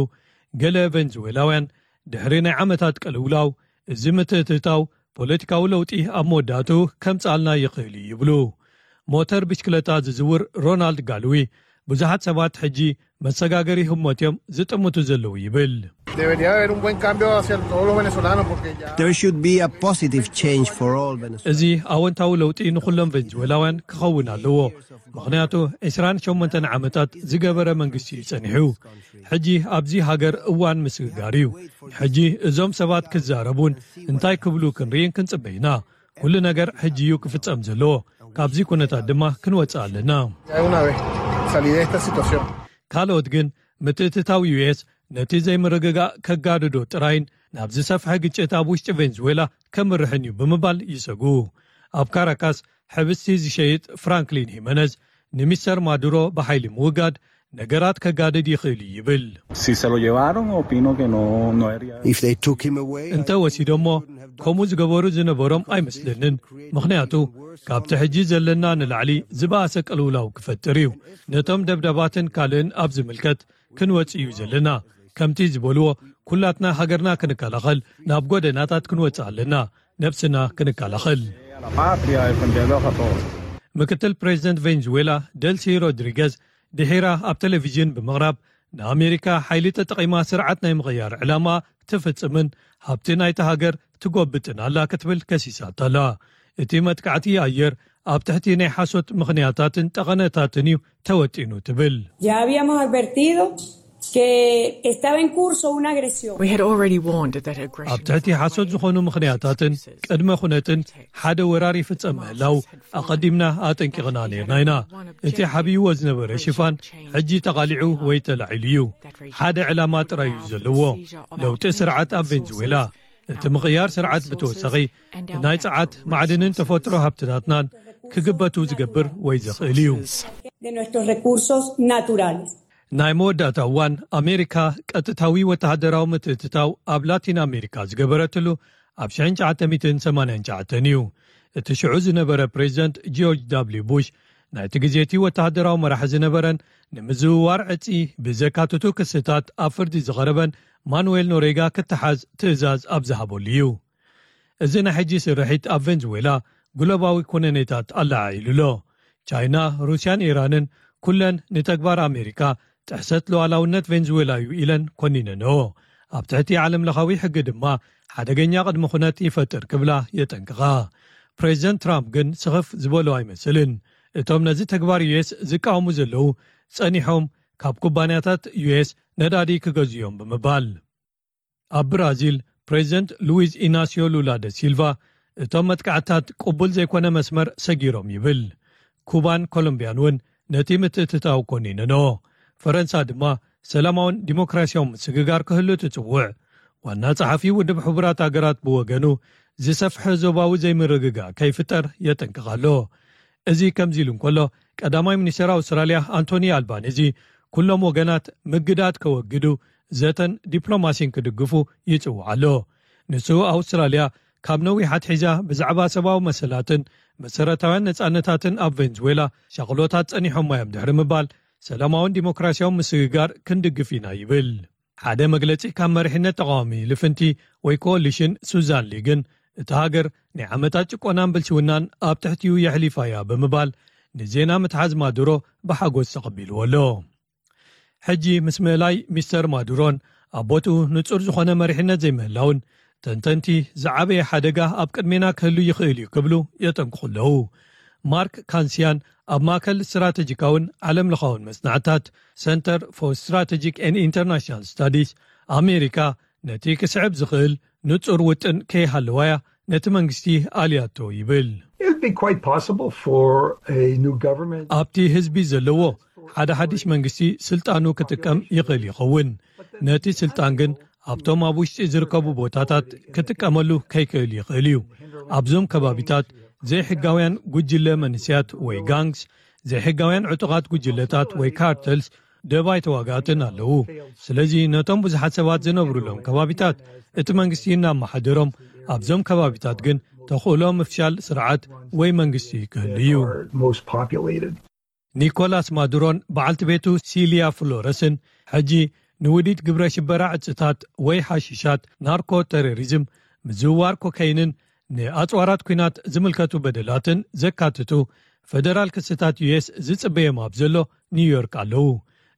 ገለ ቬንዙዌላውያን ድሕሪ ናይ ዓመታት ቅልውላው፣ እዚ ምትእትታው ፖለቲካዊ ለውጢ ኣብ መወዳእቱ ከምጽኣልና ይኽእል እዩ ይብሉ። ሞተር ብሽክለታ ዝዝውር ሮናልድ ጋልዊ፣ ብዙሓት ሰባት ሕጂ መሰጋገሪ ህሞት እዮም ዝጥምቱ ዘለዉ ይብል። Debería haber un buen cambio hacia todos los venezolanos porque ya... There should be a positive change for all Venezuelans. እዚ ኣወንታዊ ለውጢ ንኹሎም ቬንዙዌላውያን ክኸውን ኣለዎ። ምኽንያቱ ዕስራን ሸሞንተን ዓመታት ዝገበረ መንግስቲ እዩ ጸኒሑ። ሕጂ ኣብዚ ሃገር እዋን ምስግጋር እዩ። ሕጂ እዞም ሰባት ክዛረቡን እንታይ ክብሉ ክንርኢን ክንጽበ ኢና። ኩሉ ነገር ሕጂ እዩ ክፍጸም ዘለዎ። ካብዚ ኩነታት ድማ ክንወጽእ ኣለና። Ya de una vez salir de esta situación. ካልኦት ግን ምትእትታው ዩ ኤስ ነቲ ዘይምርግጋእ ከጋድዶ ጥራይን ናብ ዝሰፍሐ ግጭት ኣብ ውሽጢ ቬንዙዌላ ከምርሕን እዩ ብምባል ይሰጉ። ኣብ ካራካስ ሕብስቲ ዝሸይጥ ፍራንክሊን ሂመነዝ፣ ንሚስተር ማዱሮ ብሓይሊ ምውጋድ ነገራት ከጋድድ ይኽእል እዩ ይብል። Si se lo llevaron, opino que no, no debería haber. If they took him away, እንተ ወሲዶሞ፣ ከምኡ ዝገበሩ ዝነበሮም ኣይመስለንን። ምኽንያቱ ካብቲ ሕጂ ዘለና ንላዕሊ ዝበኣሰ ቅልውላው ክፈጥር እዩ። ነቶም ደብዳባትን ካልእን ኣብ ዝምልከት ክንወጽእ እዩ ዘለና። ከምቲ ዝበልዎ፣ ኩላትና ሃገርና ክንከላኸል ናብ ጎደናታት ክንወጽእ ኣለና። ነብስና ክንከላኸል። A la patria, defenderlos a todos. ምክትል ፕሬዚደንት ቬንዙዌላ ደልሲ ሮድሪገዝ ድሒራ ኣብ ቴሌቪዥን ብምቕራብ፣ ንኣሜሪካ ሓይሊ ተጠቒማ ስርዓት ናይ ምቕያር ዕላማ ትፍጽምን ሃብቲ ናይቲ ሃገር ትጎብጥን ኣላ ክትብል ከሲሳታ ኣላ። እቲ መጥቃዕቲ ኣየር ኣብ ትሕቲ ናይ ሓሶት ምኽንያታትን ጠቐነታትን እዩ ተወጢኑ ትብል። Ya habíamos advertido que estaba en curso una agresión. We had already warned that aggression ኣብ ትሕቲ ሓሶት ዝኾኑ ምኽንያታትን ቅድመ ኩነትን ሓደ ወራር ይፍጸም ምህላው ኣቐዲምና ኣጠንቂቕና ነርና ኢና። እቲ ሓብይዎ ዝነበረ ሽፋን ሕጂ ተቓሊዑ ወይ ተላዒሉ እዩ። ሓደ ዕላማ ጥራይ እዩ ዘለዎ፣ ለውጢ ስርዓት ኣብ ቬንዙዌላ። እቲ ምቕያር ስርዓት ብተወሳኺ ናይ ጸዓት፣ ማዕድንን ተፈጥሮ ሃብትታትናን ክግበቱ ዝገብር ወይ ዘኽእል እዩ። De nuestros recursos naturales. ናይ መወዳእታ እዋን ኣሜሪካ ቀጥታዊ ወተሃደራዊ ምትእትታው ኣብ ላቲን ኣሜሪካ ዝገበረትሉ ኣብ ሽሕን ትሽዓተ ሚእትን ሰማንያን ትሽዓተን እዩ። እቲ ሽዑ ዝነበረ ፕሬዚደንት ጆርጅ ዳብሊው ቡሽ፣ ናይቲ ግዜቲ ወተሃደራዊ መራሒ ዝነበረን ንምዝውዋር ዕጺ ብዘካትቱ ክስታት ኣብ ፍርዲ ዝቐረበን ማኑዌል ኖሬጋ ክተሓዝ ትእዛዝ ኣብ ዝሃበሉ እዩ። እዚ ናይ ሕጂ ስርሒት ኣብ ቬንዙዌላ ግሎባዊ ኩነኔታት ኣለዓዒሉ ኣሎ። ቻይና፣ ሩስያን ኢራንን ኩለን ንተግባር ኣሜሪካ ጥሕሰት ሉዓላውነት ቬንዙዌላ እዩ ኢለን ኮኒነንኦ። ኣብ ትሕቲ ዓለም ለኻዊ ሕጊ ድማ ሓደገኛ ቅድሚ ኩነት ይፈጥር ክብላ የጠንቅቓ። ፕሬዚደንት ትራምፕ ግን ስኽፍ ዝበሎ ኣይመስልን። እቶም ነዚ ተግባር ዩኤስ ዝቃወሙ ዘለዉ ጸኒሖም ካብ ኩባንያታት ዩኤስ ነዳዲ ክገዝኡ እዮም ብምባል። ኣብ ብራዚል ፕሬዚደንት ሉዊዝ ኢናሲዮ ሉላ ደ ሲልቫ እቶም መጥቃዕታት ቅቡል ዘይኮነ መስመር ሰጊሮም ይብል። ኩባን ኮሎምቢያን እውን ነቲ ምትእትታው ኮኒነንኦ። ፈረንሳ ድማ ሰላማውን ዲሞክራሲያውን ምስግጋር ክህሉ ትጽውዕ። ዋና ጸሓፊ ውድብ ሕቡራት ሃገራት ብወገኑ ዝሰፍሐ ዞባዊ ዘይምርግጋእ ከይፍጠር የጠንቅቕ ኣሎ። እዚ ከምዚ ኢሉ እንከሎ ቀዳማይ ሚኒስተር ኣውስትራልያ ኣንቶኒ ኣልባኒዚ ኩሎም ወገናት ምግዳድ ከወግዱ ዘተን ዲፕሎማሲን ክድግፉ ይጽውዕ ኣሎ። ንሱ ኣውስትራልያ ካብ ነዊሕ ኣትሒዛ ብዛዕባ ሰብኣዊ መሰላትን መሰረታውያን ነጻነታትን ኣብ ቬንዙዌላ ሻቕሎታት ጸኒሖማ እዮም ድሕሪ ምባል ሰላማውን ዲሞክራሲያውን ምስግጋር ክንድግፍ ኢና ይብል። ሓደ መግለጺ ካብ መሪሕነት ተቓዋሚ ልፍንቲ ወይ ኮሊሽን ሱዛን ሊ ግን እታ ሃገር ናይ ዓመታት ጭቆናን ብልሽውናን ኣብ ትሕቲኡ የሕሊፋ እያ ብምባል ንዜና ምትሓዝ ማዱሮ ብሓጎስ ተቐቢልዎ ኣሎ። ሕጂ ምስ ምእላይ ሚስተር ማዱሮን ኣብ ቦትኡ ንጹር ዝኾነ መሪሕነት ዘይምህላውን ተንተንቲ ዝዓበየ ሓደጋ ኣብ ቅድሜና ክህሉ ይኽእል እዩ ክብሉ የጠንቅቑ ኣለዉ። ማርክ ካንሲያን ኣብ ማእከል ስትራተጂካውን ዓለም ለኻውን መጽናዕታት ሰንተር ፎር ስትራተጂክ ኤንድ ኢንተርናሽናል ስታዲስ ኣሜሪካ ነቲ ክስዕብ ዝኽእል ንጹር ውጥን ከይሃለዋያ ነቲ መንግስቲ ኣልያቶ ይብል። It'd be quite possible for a new government. ኣብቲ ህዝቢ ዘለዎ ሓደ ሓድሽ መንግስቲ ስልጣኑ ክጥቀም ይኽእል ይኸውን። ነቲ ስልጣን ግን ኣብቶም ኣብ ውሽጢ ዝርከቡ ቦታታት ክጥቀመሉ ከይክእል ይኽእል እዩ። ኣብዞም ከባቢታት ዘይሕጋውያን ጉጅለ መንስያት ወይ ጋንግስ፣ ዘይሕጋውያን ዕጡቓት ጉጅለታት ወይ ካርተልስ ደባይ ተዋጋእትን ኣለዉ። ስለዚ ነቶም ብዙሓት ሰባት ዝነብሩሎም ከባቢታት እቲ መንግስቲ እናመሓደሮም፣ ኣብዞም ከባቢታት ግን ተኽእሎ ምፍሻል ስርዓት ወይ መንግስቲ ክህሉ እዩ። Most populated. ኒኮላስ ማዱሮን በዓልቲ ቤቱ ሲልያ ፍሎረስን ሕጂ ንውዲት ግብረ ሽበራ ዕጽታት ወይ ሓሽሻት፣ ናርኮ ተሮሪዝም፣ ምዝውዋር ኮካይንን ንኣጽዋራት ኲናት ዝምልከቱ በደላትን ዘካትቱ ፈደራል ክስታት ዩኤስ ዝጽበዮም ኣብ ዘሎ ኒውዮርክ ኣለዉ።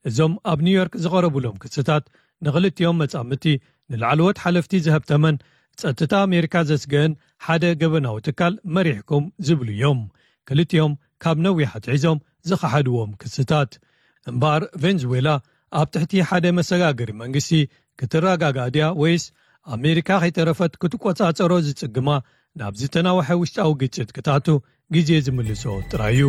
እዞም ኣብ ኒውዮርክ ዝቐረቡሎም ክስታት ንኽልቲኦም መጻምድቲ ንላዕለዎት ሓለፍቲ ዝሀብተመን ጸጥታ ኣሜሪካ ዘስገአን ሓደ ገበናዊ ትካል መሪሕኩም ዝብሉ እዮም። ክልቲኦም ካብ ነዊሕ ኣትሒዞም ዝኸሓድዎም ክስታት። እምበኣር ቬንዙዌላ ኣብ ትሕቲ ሓደ መሰጋገሪ መንግስቲ ክትረጋጋእ ድያ ወይስ ኣሜሪካ ከይተረፈት ክትቆጻጸሮ ዝጽግማ ናብ ዝተናወሐ ውሽጣዊ ግጭት ክትኣቱ ግዜ ዝምልሶ ጥራይ እዩ።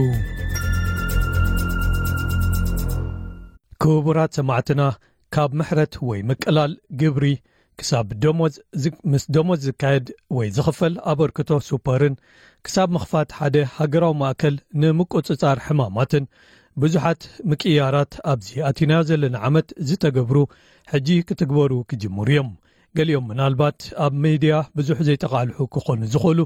ክቡራት ሰማዕትና፣ ካብ ምሕረት ወይ ምቅላል ግብሪ ክሳብ ደሞዝ ዝ- ምስ ደሞዝ ዝካየድ ወይ ዝኽፈል ኣበርክቶ ሱፐርን ክሳብ ምኽፋት ሓደ ሃገራዊ ማእከል ንምቁጽጻር ሕማማትን ብዙሓት ምቅያራት ኣብዚ ኣቲናዮ ዘለና ዓመት ዝተገብሩ ሕጂ ክትግበሩ ክጅምሩ እዮም። ገሊኦም ምናልባት ኣብ ሜድያ ብዙሕ ዘይተቓልሑ ክኾኑ ዝኽእሉ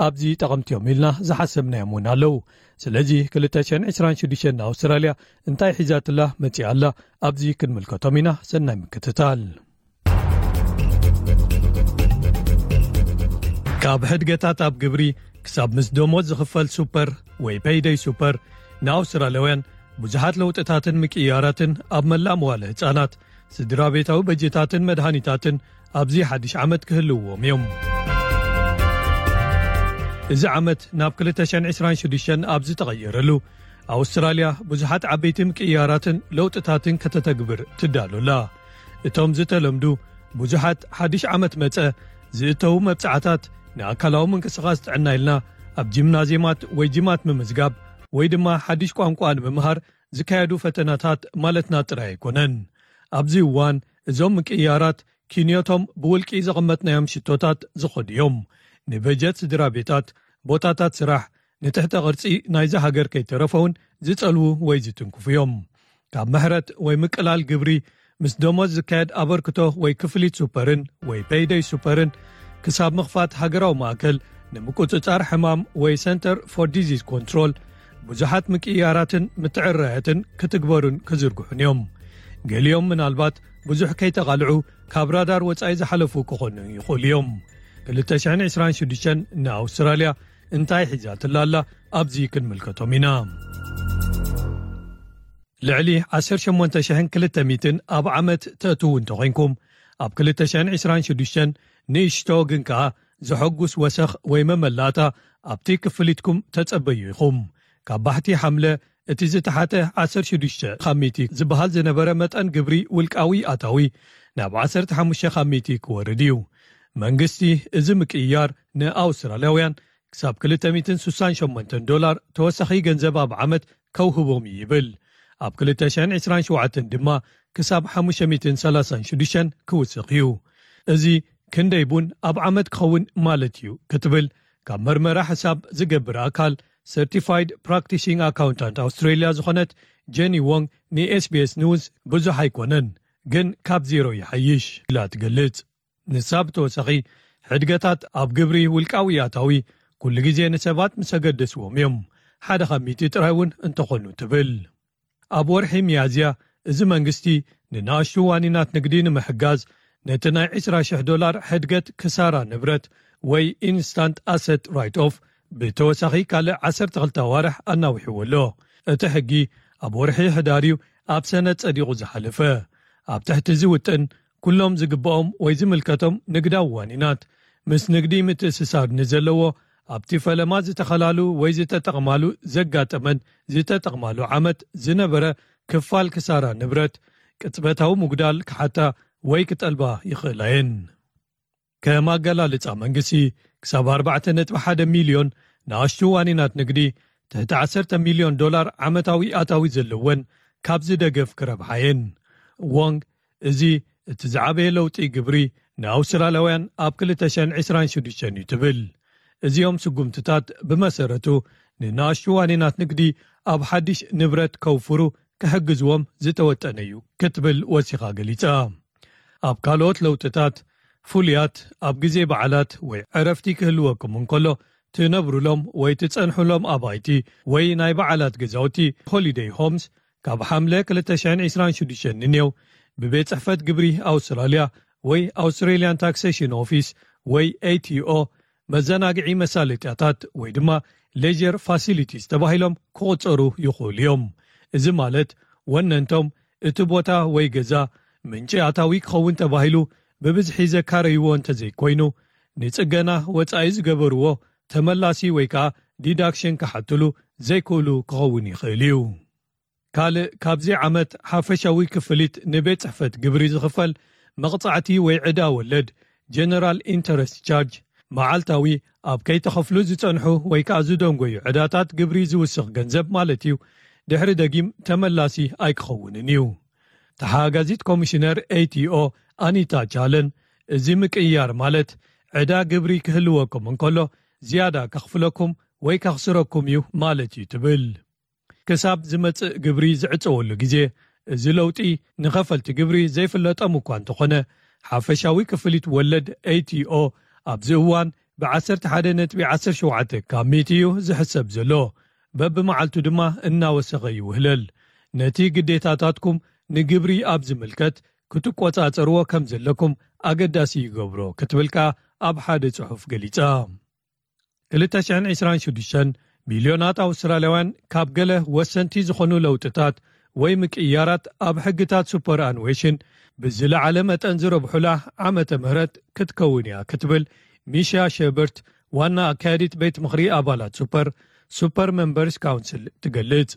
ኣብዚ ጠቐምቲ እዮም ኢልና ዝሓሰብናዮም እውን ኣለዉ። ስለዚ ክልተ ሽሕን ዕስራን ሽዱሽተን ንኣውስትራልያ እንታይ ሒዛትላ መጺኣ ኣላ ኣብዚ ክንምልከቶም ኢና። ሰናይ ምክትታል። ካብ ሕድገታት ኣብ ግብሪ ክሳብ ምስ ደሞዝ ዝኽፈል ሱፐር ወይ ፔይደይ ሱፐር ንኣውስትራልያውያን ብዙሓት ለውጥታትን ምቅይያራትን ኣብ መላእ መዋለ ህጻናት፣ ስድራ ቤታዊ በጀታትን መድሃኒታትን ኣብዚ ሓድሽ ዓመት ክህልውዎም እዮም። እዚ ዓመት ናብ ክልተ ሽሕን ዕስራን ሽዱሽተን ኣብ ዝተቐየረሉ ኣውስትራልያ ብዙሓት ዓበይቲ ምቅያራትን ለውጥታትን ከተተግብር ትዳሎ ኣላ። እቶም ዝተለምዱ ብዙሓት ሓድሽ ዓመት መጸ ዝእተዉ መብጻዕታት፣ ንኣካላዊ ምንቅስቓስ ጥዕና ኢልና ኣብ ጂምናዝየማት ወይ ጂማት ምምዝጋብ ወይ ድማ ሓድሽ ቋንቋ ንምምሃር ዝካየዱ ፈተናታት ማለትና ጥራይ ኣይኮነን። ኣብዚ እዋን እዞም ምቅያራት ኪንዮቶም ብውልቂ ዘቐመጥናዮም ሽቶታት ዝኸዱ እዮም። ንበጀት ስድራ ቤታት፣ ቦታታት ስራሕ፣ ንትሕተ ቅርጺ ናይዛ ሃገር ከይተረፈውን ዝጸልዉ ወይ ዝትንክፉ እዮም። ካብ ምሕረት ወይ ምቅላል ግብሪ፣ ምስ ደሞዝ ዝካየድ ኣበርክቶ ወይ ክፍሊት ሱፐርን ወይ ፔይደይ ሱፐርን፣ ክሳብ ምኽፋት ሃገራዊ ማእከል ንምቁጽጻር ሕማም ወይ Center for Disease Control፣ ብዙሓት ምቅያራትን ምትዕርራያትን ክትግበሩን ክዝርግሑን እዮም። ገሊኦም ምናልባት ብዙሕ ከይተቓልዑ ካብ ራዳር ወጻኢ ዝሓለፉ ክኾኑ ይኽእሉ እዮም። ክልተ ሽሕን ዕስራን ሽዱሽተን ንኣውስትራልያ እንታይ ሒዛትላ ኣላ? ኣብዚ ክንምልከቶም ኢና። ልዕሊ ዓሰርተ ሸሞንተ ሽሕን ክልተ ሚእትን ኣብ ዓመት ተእትዉ እንተኾይንኩም፣ ኣብ ክልተ ሽሕን ዕስራን ሽዱሽተን ንእሽቶ ግን ከኣ ዘሐጉስ ወሰኽ ወይ መመላእታ ኣብቲ ክፍሊትኩም ተጸበዩ ኢኹም። ካብ ባሕቲ ሓምለ እቲ ዝተሓተ ዓሰርተ ሽዱሽተ ካብ ሚእቲ ዝበሃል ዝነበረ መጠን ግብሪ ውልቃዊ ኣታዊ ናብ ዓሰርተ ሓሙሽተ ካብ ሚእቲ ክወርድ እዩ። መንግስቲ እዚ ምቅይያር ንኣውስትራልያውያን ክሳብ ክልተ ሚእትን ስሳን ሸሞንተን ዶላር ተወሳኺ ገንዘብ ኣብ ዓመት ከውህቦም እዩ ይብል። ኣብ ክልተ ሽሕን ዕስራን ሸውዓተን ድማ ክሳብ ሓሙሽተ ሚእትን ሰላሳን ሽዱሽተን ክውስኽ እዩ። እዚ ክንደይ ቡን ኣብ ዓመት ክኸውን ማለት እዩ ክትብል ካብ መርመራ ሕሳብ ዝገብር ኣካል፣ Certified Practicing Accountant ኣውስትሬልያ ዝኾነት ጀኒ ዎንግ ንኤስቢኤስ ኒውስ፣ ብዙሕ ኣይኮነን፣ ግን ካብ ዜሮ ይሓይሽ ኢላ ትገልጽ። ንሳ ብተወሳኺ፣ ሕድገታት ኣብ ግብሪ ውልቃዊ ኣታዊ ኩሉ ግዜ ንሰባት ምስ ኣገደስዎም እዮም፣ ሓደ ካብ ሚእቲ ጥራይ እውን እንተኾኑ ትብል። ኣብ ወርሒ ሚያዝያ፣ እዚ መንግስቲ ንንኣሽቱ ዋኒናት ንግዲ ንምሕጋዝ፣ ነቲ ናይ ዕስራ ሽሕ ዶላር ሕድገት ክሳራ ንብረት ወይ Instant Asset Write-Off ብተወሳኺ ካልእ ዓሰርተ ክልተ ኣዋርሕ ኣናዊሕዎ ኣሎ። እቲ ሕጊ ኣብ ወርሒ ሕዳር እዩ ኣብ ሰነድ ጸዲቑ ዝሓለፈ። ኣብ ትሕቲ እዚ ውጥን፣ ኩሎም ዝግብኦም ወይ ዝምልከቶም ንግዳዊ ዋኒናት፣ ምስ ንግዲ ምትእስሳር ንዘለዎ፣ ኣብቲ ፈለማ ዝተኸላሉ ወይ ዝተጠቕማሉ ዘጋጠመን ዝተጠቕማሉ ዓመት ዝነበረ ክፋል ክሳራ ንብረት፣ ቅጽበታዊ ምጉዳል ክሓታ ወይ ክጠልባ ይኽእላ እየን። ከም ኣገላልጻ መንግስቲ፣ ክሳብ ኣርባዕተ ነጥቢ ሓደ ሚልዮን ንኣሽቱ ዋኒናት ንግዲ፣ ትሕቲ ዓሰርተ ሚልዮን ዶላር ዓመታዊ ኣታዊ ዘለወን ካብዚ ደገፍ ክረብሓ እየን። ዎንግ፣ እዚ እቲ ዝዓበየ ለውጢ ግብሪ ንኣውስትራልያውያን ኣብ ክልተ ሽሕን ዕስራን ሽዱሽተን እዩ ትብል። እዚኦም ስጉምትታት ብመሰረቱ ንንኣሽቱ ዋኒናት ንግዲ ኣብ ሓድሽ ንብረት ከውፍሩ ክሕግዝዎም ዝተወጠነ እዩ ክትብል ወሲኻ ገሊጻ። ኣብ ካልኦት ለውጥታት፣ ፍሉያት ኣብ ግዜ በዓላት ወይ ዕረፍቲ ክህልወኩም እንከሎ ትነብሩሎም ወይ ትጸንሑሎም ኣባይቲ ወይ ናይ በዓላት ገዛውቲ፣ ሆሊደይ ሆምስ፣ ካብ ሓምለ ክልተ ሽሕን ዕስራን ሽዱሽተን ንኔው ብቤት ጽሕፈት ግብሪ ኣውስትራልያ ወይ ኣውስትሬልያን ታክሴሽን ኦፊስ ወይ ኤቲኦ መዘናግዒ መሳለጥያታት ወይ ድማ ሌጀር ፋሲሊቲስ ተባሂሎም ክቑጸሩ ይኽእሉ እዮም። እዚ ማለት ወነንቶም እቲ ቦታ ወይ ገዛ ምንጪ ኣታዊ ክኸውን ተባሂሉ ብብዝሒ ዘካረይዎ እንተዘይኮይኑ፣ ንጽገና ወጻኢ ዝገበርዎ ተመላሲ ወይ ከኣ ዲዳክሽን ክሓትሉ ዘይክእሉ ክኸውን ይኽእል እዩ። ካልእ ካብዚ ዓመት ሓፈሻዊ ክፍሊት ንቤት ጽሕፈት ግብሪ ዝኽፈል መቕጻዕቲ ወይ ዕዳ ወለድ፣ ጀነራል ኢንተረስት ቻርጅ፣ መዓልታዊ ኣብ ከይተኸፍሉ ዝጸንሑ ወይ ከኣ ዝደንጎዩ ዕዳታት ግብሪ ዝውስኽ ገንዘብ ማለት እዩ፣ ድሕሪ ደጊም ተመላሲ ኣይክኸውንን እዩ። ተሓጋዚት ኮሚሽነር ኤቲኦ ኣኒታ ቻለን፣ እዚ ምቅይያር ማለት ዕዳ ግብሪ ክህልወኩም እንከሎ ዝያዳ ከኽፍለኩም ወይ ከኽስረኩም እዩ ማለት እዩ ትብል። ክሳብ ዝመጽእ ግብሪ ዝዕጸወሉ ግዜ፣ እዚ ለውጢ ንኸፈልቲ ግብሪ ዘይፍለጦም እኳ እንተኾነ፣ ሓፈሻዊ ክፍሊት ወለድ ኤቲኦ ኣብዚ እዋን ብ ዓሰርተ ሓደ ነጥቢ ዓሰርተ ሸውዓተ ካብ ሚእቲ እዩ ዝሕሰብ ዘሎ። በብመዓልቱ ድማ እናወሰኸ ይውህለል። ነቲ ግዴታታትኩም ንግብሪ ኣብ ዝምልከት ክትቆጻጸርዎ ከም ዘለኩም ኣገዳሲ ይገብሮ ክትብል ከኣ ኣብ ሓደ ጽሑፍ ገሊጻ። ክልተ ሽሕን ዕስራን ሽዱሽተን ሚልዮናት ኣውስትራልያውያን ካብ ገለ ወሰንቲ ዝኾኑ ለውጥታት ወይ ምቅይያራት ኣብ ሕግታት ሱፐር ኣኑዌሽን ብዝለዓለ መጠን ዝረብሑላ ዓመተ ምህረት ክትከውን እያ ክትብል ሚሻ ሸበርት፣ ዋና ኣካያዲት ቤት ምኽሪ ኣባላት ሱፐር፣ ሱፐር መምበርስ ካውንስል፣ ትገልጽ።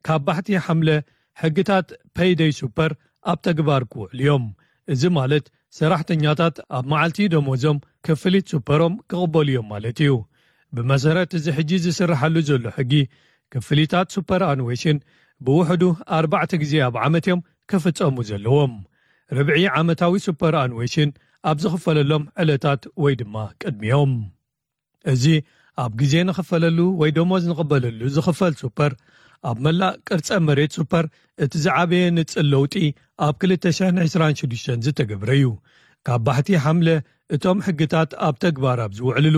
ካብ ባሕቲ ሓምለ ሕግታት ፔይደይ ሱፐር ኣብ ተግባር ክውዕሉ እዮም። እዚ ማለት ሰራሕተኛታት ኣብ መዓልቲ ደሞዞም ክፍሊት ሱፐሮም ክቕበሉ እዮም ማለት እዩ። ብመሰረት እዚ ሕጂ ዝስርሓሉ ዘሎ ሕጊ፣ ክፍሊታት ሱፐር ኣንዌሽን ብውሕዱ ኣርባዕተ ግዜ ኣብ ዓመት እዮም ክፍጸሙ ዘለዎም። ርብዒ ዓመታዊ ሱፐር ኣንዌሽን ኣብ ዝኽፈለሎም ዕለታት ወይ ድማ ቅድሚኦም። እዚ ኣብ ግዜ ንኽፈለሉ ወይ ደሞዝ ንቕበለሉ ዝኽፈል ሱፐር፣ ኣብ መላእ ቅርጸ መሬት ሱፐር እቲ ዝዓበየ ንጽል ለውጢ ኣብ ክልተ ሽሕን ዕስራን ሽዱሽተን ዝተገብረ እዩ። ካብ ባሕቲ ሓምለ እቶም ሕግታት ኣብ ተግባር ኣብ ዝውዕልሉ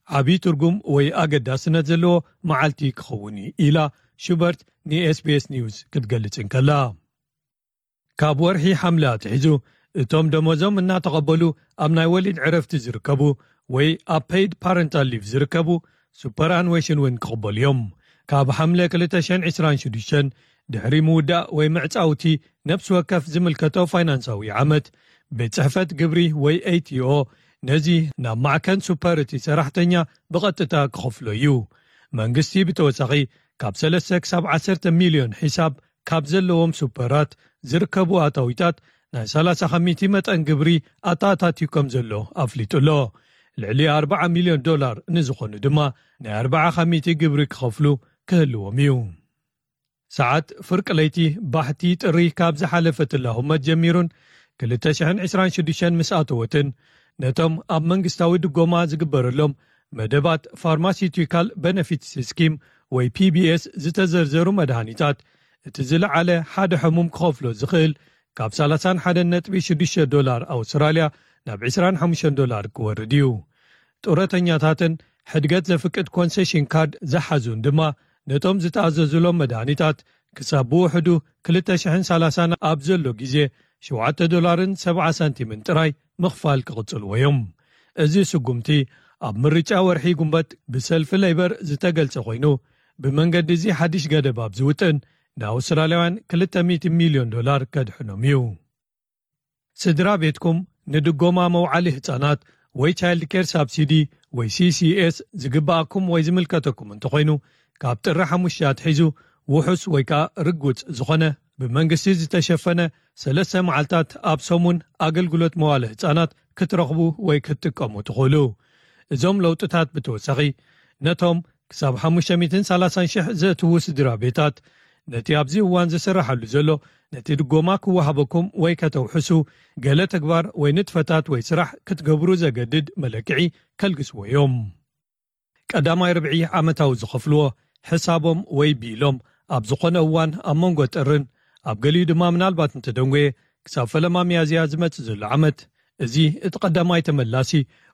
ዓብዪ ትርጉም ወይ ኣገዳስነት ዘለዎ መዓልቲ ክኸውን እዩ ኢላ ሹበርት ን SBS ኒውስ ክትገልጽ እንከላ። ካብ ወርሒ ሓምለ ኣትሒዙ እቶም ደሞዞም እናተቐበሉ ኣብ ናይ ወሊድ ዕረፍቲ ዝርከቡ ወይ ኣብ ፔይድ ፓረንታል ሊቭ ዝርከቡ ሱፐር ኣንዌሽን እውን ክቕበሉ እዮም። ካብ ሓምለ ክልተ ሽሕን ዕስራን ሽዱሽተን ድሕሪ ምውዳእ ወይ ምዕጻውቲ ነፍሲ ወከፍ ዝምልከቶ ፋይናንሳዊ ዓመት፣ ቤት ጽሕፈት ግብሪ ወይ ኤቲኦ ነዚ ናብ ማዕከን ሱፐር እቲ ሰራሕተኛ ብቐጥታ ክኸፍሎ እዩ። መንግስቲ ብተወሳኺ ካብ ሰለስተ ክሳብ ዓሰርተ ሚልዮን ሒሳብ ካብ ዘለዎም ሱፐራት ዝርከቡ ኣታዊታት ናይ ሰላሳ ከሚቲ መጠን ግብሪ ኣተኣታትዩ ከም ዘሎ ኣፍሊጡ ኣሎ። ልዕሊ ኣርባዓ ሚልዮን ዶላር ንዝኾኑ ድማ ናይ ኣርባዓ ከሚቲ ግብሪ ክኸፍሉ ክህልዎም እዩ። ሰዓት ፍርቂ ለይቲ ባሕቲ ጥሪ ካብ ዝሓለፈትላ ህሞት ጀሚሩን ክልተ ሽሕን ዕስራን ሽዱሽተን ምስ ኣተወትን፣ ነቶም ኣብ መንግስታዊ ድጎማ ዝግበረሎም መደባት ፋርማሲውቲካል ቤነፊትስ ስኪም ወይ ፒቢኤስ ዝተዘርዘሩ መድሃኒታት፣ እቲ ዝለዓለ ሓደ ሕሙም ክኸፍሎ ዝኽእል ካብ ሰላሳን ሓደን ነጥቢ ሽዱሽተ ዶላር ኣውስትራልያ ናብ ዕስራን ሓሙሽተን ዶላር ክወርድ እዩ። ጡረተኛታትን ሕድገት ዘፍቅድ ኮንሴሽን ካርድ ዝሓዙን ድማ ነቶም ዝተኣዘዙሎም መድሃኒታት ክሳብ ብውሕዱ ክልተ ሽሕን ሰላሳን ኣብ ዘሎ ግዜ ሸውዓተ ዶላርን ሰብዓ ሳንቲምን ጥራይ ምኽፋል ክቕጽልዎ እዮም። እዚ ስጉምቲ ኣብ ምርጫ ወርሒ ጉንበት ብሰልፊ ሌበር ዝተገልጸ ኮይኑ፣ ብመንገዲ እዚ ሓድሽ ገደብ ኣብ ዝውጥን ንኣውስትራልያውያን ክልተ ሚእቲ ሚልዮን ዶላር ከድሕኖም እዩ። ስድራ ቤትኩም ንድጎማ መውዓሊ ህጻናት ወይ ቻይልድ ኬር ሳብሲዲ ወይ ሲሲኤስ ዝግባኣኩም ወይ ዝምልከተኩም እንተኾይኑ፣ ካብ ጥሪ ሓሙሽተ ኣትሒዙ ውሑስ ወይ ከኣ ርጉጽ ዝኾነ ብመንግስቲ ዝተሸፈነ ሰለስተ መዓልታት ኣብ ሰሙን ኣገልግሎት መዋለ ህጻናት ክትረኽቡ ወይ ክትጥቀሙ ትኽእሉ። እዞም ለውጥታት ብተወሳኺ ነቶም ክሳብ ሓሙሽተ ሚእትን ሰላሳን ሽሕ ዘእትዉ ስድራ ቤታት፣ ነቲ ኣብዚ እዋን ዝስርሓሉ ዘሎ ነቲ ድጎማ ክወሃበኩም ወይ ከተውሕሱ ገለ ተግባር ወይ ንጥፈታት ወይ ስራሕ ክትገብሩ ዘገድድ መለክዒ ከልግስዎ እዮም። ቀዳማይ ርብዒ ዓመታዊ ዝኸፍልዎ ሕሳቦም ወይ ቢሎም ኣብ ዝኾነ እዋን ኣብ መንጎ ጥርን ኣብ ገሊኡ ድማ ምናልባት እንተደንጎየ ክሳብ ፈለማ ሚያዝያ ዝመጽእ ዘሎ ዓመት፣ እዚ እቲ ቀዳማይ ተመላሲ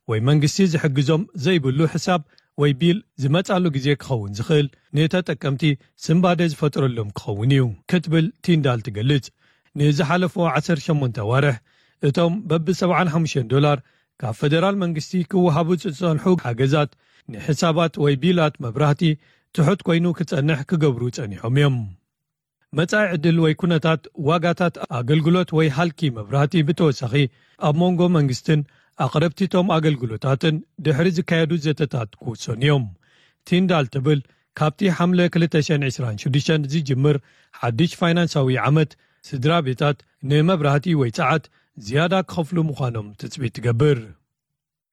ወይ መንግስቲ ዝሕግዞም ዘይብሉ ሕሳብ ወይ ቢል ዝመጻሉ ግዜ ክኸውን ዝኽእል፣ ንተጠቀምቲ ስንባደ ዝፈጥረሎም ክኸውን እዩ ክትብል ቲንዳል ትገልጽ። ንዝሓለፉ ዓሰርተ ሸሞንተ ኣዋርሕ እቶም በብ ሰብዓን ሓሙሽተን ዶላር ካብ ፈደራል መንግስቲ ክወሃቡ ዝጸንሑ ሓገዛት ንሕሳባት ወይ ቢላት መብራህቲ ትሑት ኮይኑ ክጸንሕ ክገብሩ ጸኒሖም እዮም። መጻኢ ዕድል ወይ ኩነታት ዋጋታት ኣገልግሎት ወይ ሃልኪ መብራህቲ ብተወሳኺ ኣብ መንጎ መንግስትን ኣቕረብቲቶም ኣገልግሎታትን ድሕሪ ዝካየዱ ዘተታት ክውሰኑ እዮም። ቲንዳል ትብል፣ ካብቲ ሓምለ ክልተ ሽሕን ዕስራን ሽዱሽተን ዝጅምር ሓድሽ ፋይናንሳዊ ዓመት ስድራ ቤታት ንመብራህቲ ወይ ጸዓት ዝያዳ ክኸፍሉ ምዃኖም ትጽቢት ትገብር።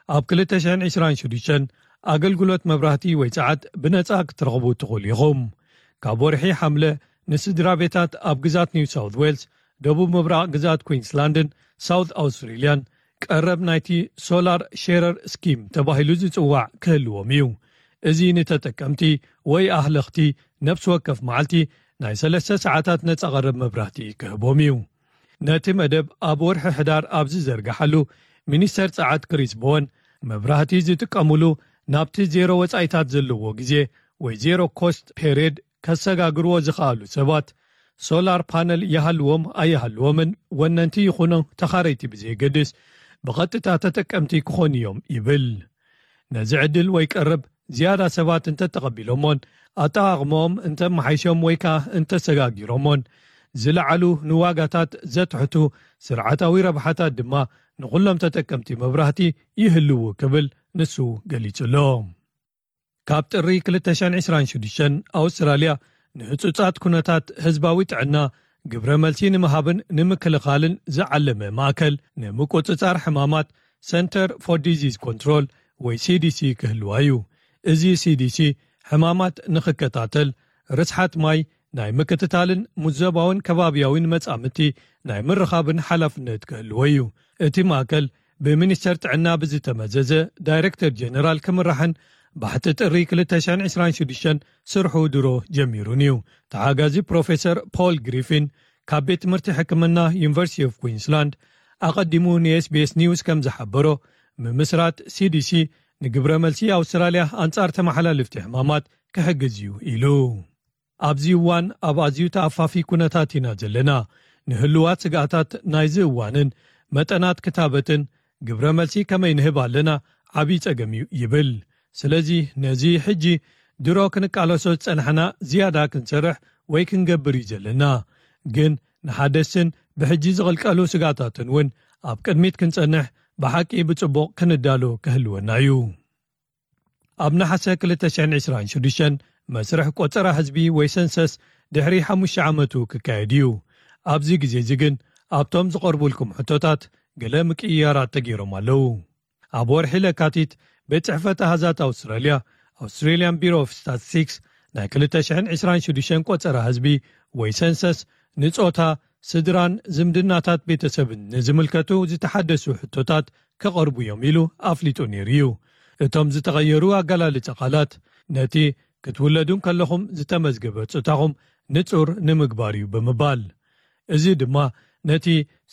ኣብ ክልተ ሽሕን ዕስራን ሽዱሽተን ኣገልግሎት መብራህቲ ወይ ጸዓት ብነጻ ክትረኽቡ ትኽእሉ ኢኹም። ካብ ወርሒ ሓምለ ንስድራ ቤታት ኣብ ግዛት ኒው ሳውት ዌልስ፣ ደቡብ ምብራቕ ግዛት ኩዊንስላንድን ሳውት ኣውስትሬልያን ቀረብ ናይቲ ሶላር ሼረር ስኪም ተባሂሉ ዝጽዋዕ ክህልዎም እዩ። እዚ ንተጠቀምቲ ወይ ኣህለኽቲ ነፍሲ ወከፍ መዓልቲ ናይ ሰለስተ ሰዓታት ነጻ ቀረብ መብራህቲ ክህቦም እዩ። ነቲ መደብ ኣብ ወርሒ ሕዳር ኣብ ዝዘርግሓሉ፣ ሚኒስተር ጸዓት ክሪስ ቦወን መብራህቲ ዝጥቀሙሉ ናብቲ ዜሮ ወጻኢታት ዘለዎ ግዜ ወይ ዜሮ ኮስት ፔሪድ ከሰጋግርዎ ዝኸኣሉ ሰባት፣ ሶላር ፓነል ይሃልዎም ኣይሃልዎምን ወነንቲ ይኹኑ ተኻረይቲ ብዘየገድስ፣ ብቐጥታ ተጠቀምቲ ክኾኑ እዮም ይብል። ነዚ ዕድል ወይ ቀረብ ዝያዳ ሰባት እንተተቐቢሎሞን ኣጠቓቕመኦም እንተመሓይሾም ወይ ከኣ እንተሰጋጊሮሞን፣ ዝለዓሉ ንዋጋታት ዘትሕቱ ስርዓታዊ ረብሓታት ድማ ንኹሎም ተጠቀምቲ መብራህቲ ይህልዉ ክብል ንሱ ገሊጹ ኣሎ። ካብ ጥሪ ክልተ ሽሕን ዕስራን ሽዱሽተን ኣውስትራልያ ንህጹጻት ኩነታት ህዝባዊ ጥዕና ግብረ መልሲ ንምሃብን ንምክልኻልን ዝዓለመ ማእከል ንምቁጽጻር ሕማማት፣ Center for Disease Control ወይ C D C ክህልዋ እዩ። እዚ C D C ሕማማት ንኽከታተል፣ ርስሓት ማይ ናይ ምክትታልን ሙዘባውን ከባብያውን መጻምድቲ ናይ ምርኻብን ሓላፍነት ክህልዎ እዩ። እቲ ማእከል ብሚኒስተር ጥዕና ብዝተመዘዘ ዳይረክተር ጀነራል ክምራሕን ባሕቲ ጥሪ ክልተ ሽሕን ዕስራን ሽዱሽተን ስርሑ ድሮ ጀሚሩን እዩ። ተሓጋዚ ፕሮፌሰር ፖል ግሪፊን ካብ ቤት ትምህርቲ ሕክምና ዩኒቨርሲቲ ኦፍ ኩዊንስላንድ ኣቐዲሙ ን S B S News ከም ዝሓበሮ፣ ምምስራት C D C ንግብረ መልሲ ኣውስትራልያ ኣንጻር ተመሓላልፍቲ ሕማማት ክሕግዝ እዩ ኢሉ። ኣብዚ እዋን ኣብ ኣዝዩ ተኣፋፊ ኩነታት ኢና ዘለና። ንህልዋት ስግኣታት ናይዚ እዋንን መጠናት ክታበትን ግብረ መልሲ ከመይ ንህብ ኣለና ዓብዪ ጸገም እዩ ይብል። ስለዚ ነዚ ሕጂ ድሮ ክንቃለሶ ዝጸናሕና ዝያዳ ክንሰርሕ ወይ ክንገብር እዩ ዘለና። ግን ንሓደስትን ብሕጂ ዝቕልቀሉ ስግኣታትን እውን ኣብ ቅድሚት ክንጸንሕ ብሓቂ ብጽቡቕ ክንዳሎ ክህልወና እዩ። ኣብ ነሓሰ ክልተ ሽሕን ዕስራን ሽዱሽተን መስርሕ ቆጸራ ህዝቢ ወይ ሰንሰስ ድሕሪ ሓሙሽተ ዓመቱ ክካየድ እዩ። ኣብዚ ግዜ እዚ ግን ኣብቶም ዝቐርቡልኩም ሕቶታት ገለ ምቅይያራት ተገይሮም ኣለዉ። ኣብ ወርሒ ለካቲት ቤት ጽሕፈት ኣሃዛት ኣውስትራልያ፣ Australian Bureau of Statistics፣ ናይ ክልተ ሽሕን ዕስራን ሽዱሽተን ቆጸራ ህዝቢ ወይ ሰንሰስ ንጾታ፣ ስድራን ዝምድናታት ቤተሰብን ንዝምልከቱ ዝተሓደሱ ሕቶታት ክቐርቡ እዮም ኢሉ ኣፍሊጡ ነይሩ እዩ። እቶም ዝተቐየሩ ኣገላልጻ ቃላት ነቲ ክትውለዱ እንከለኹም ዝተመዝገበ ጾታኹም ንጹር ንምግባር እዩ ብምባል፣ እዚ ድማ ነቲ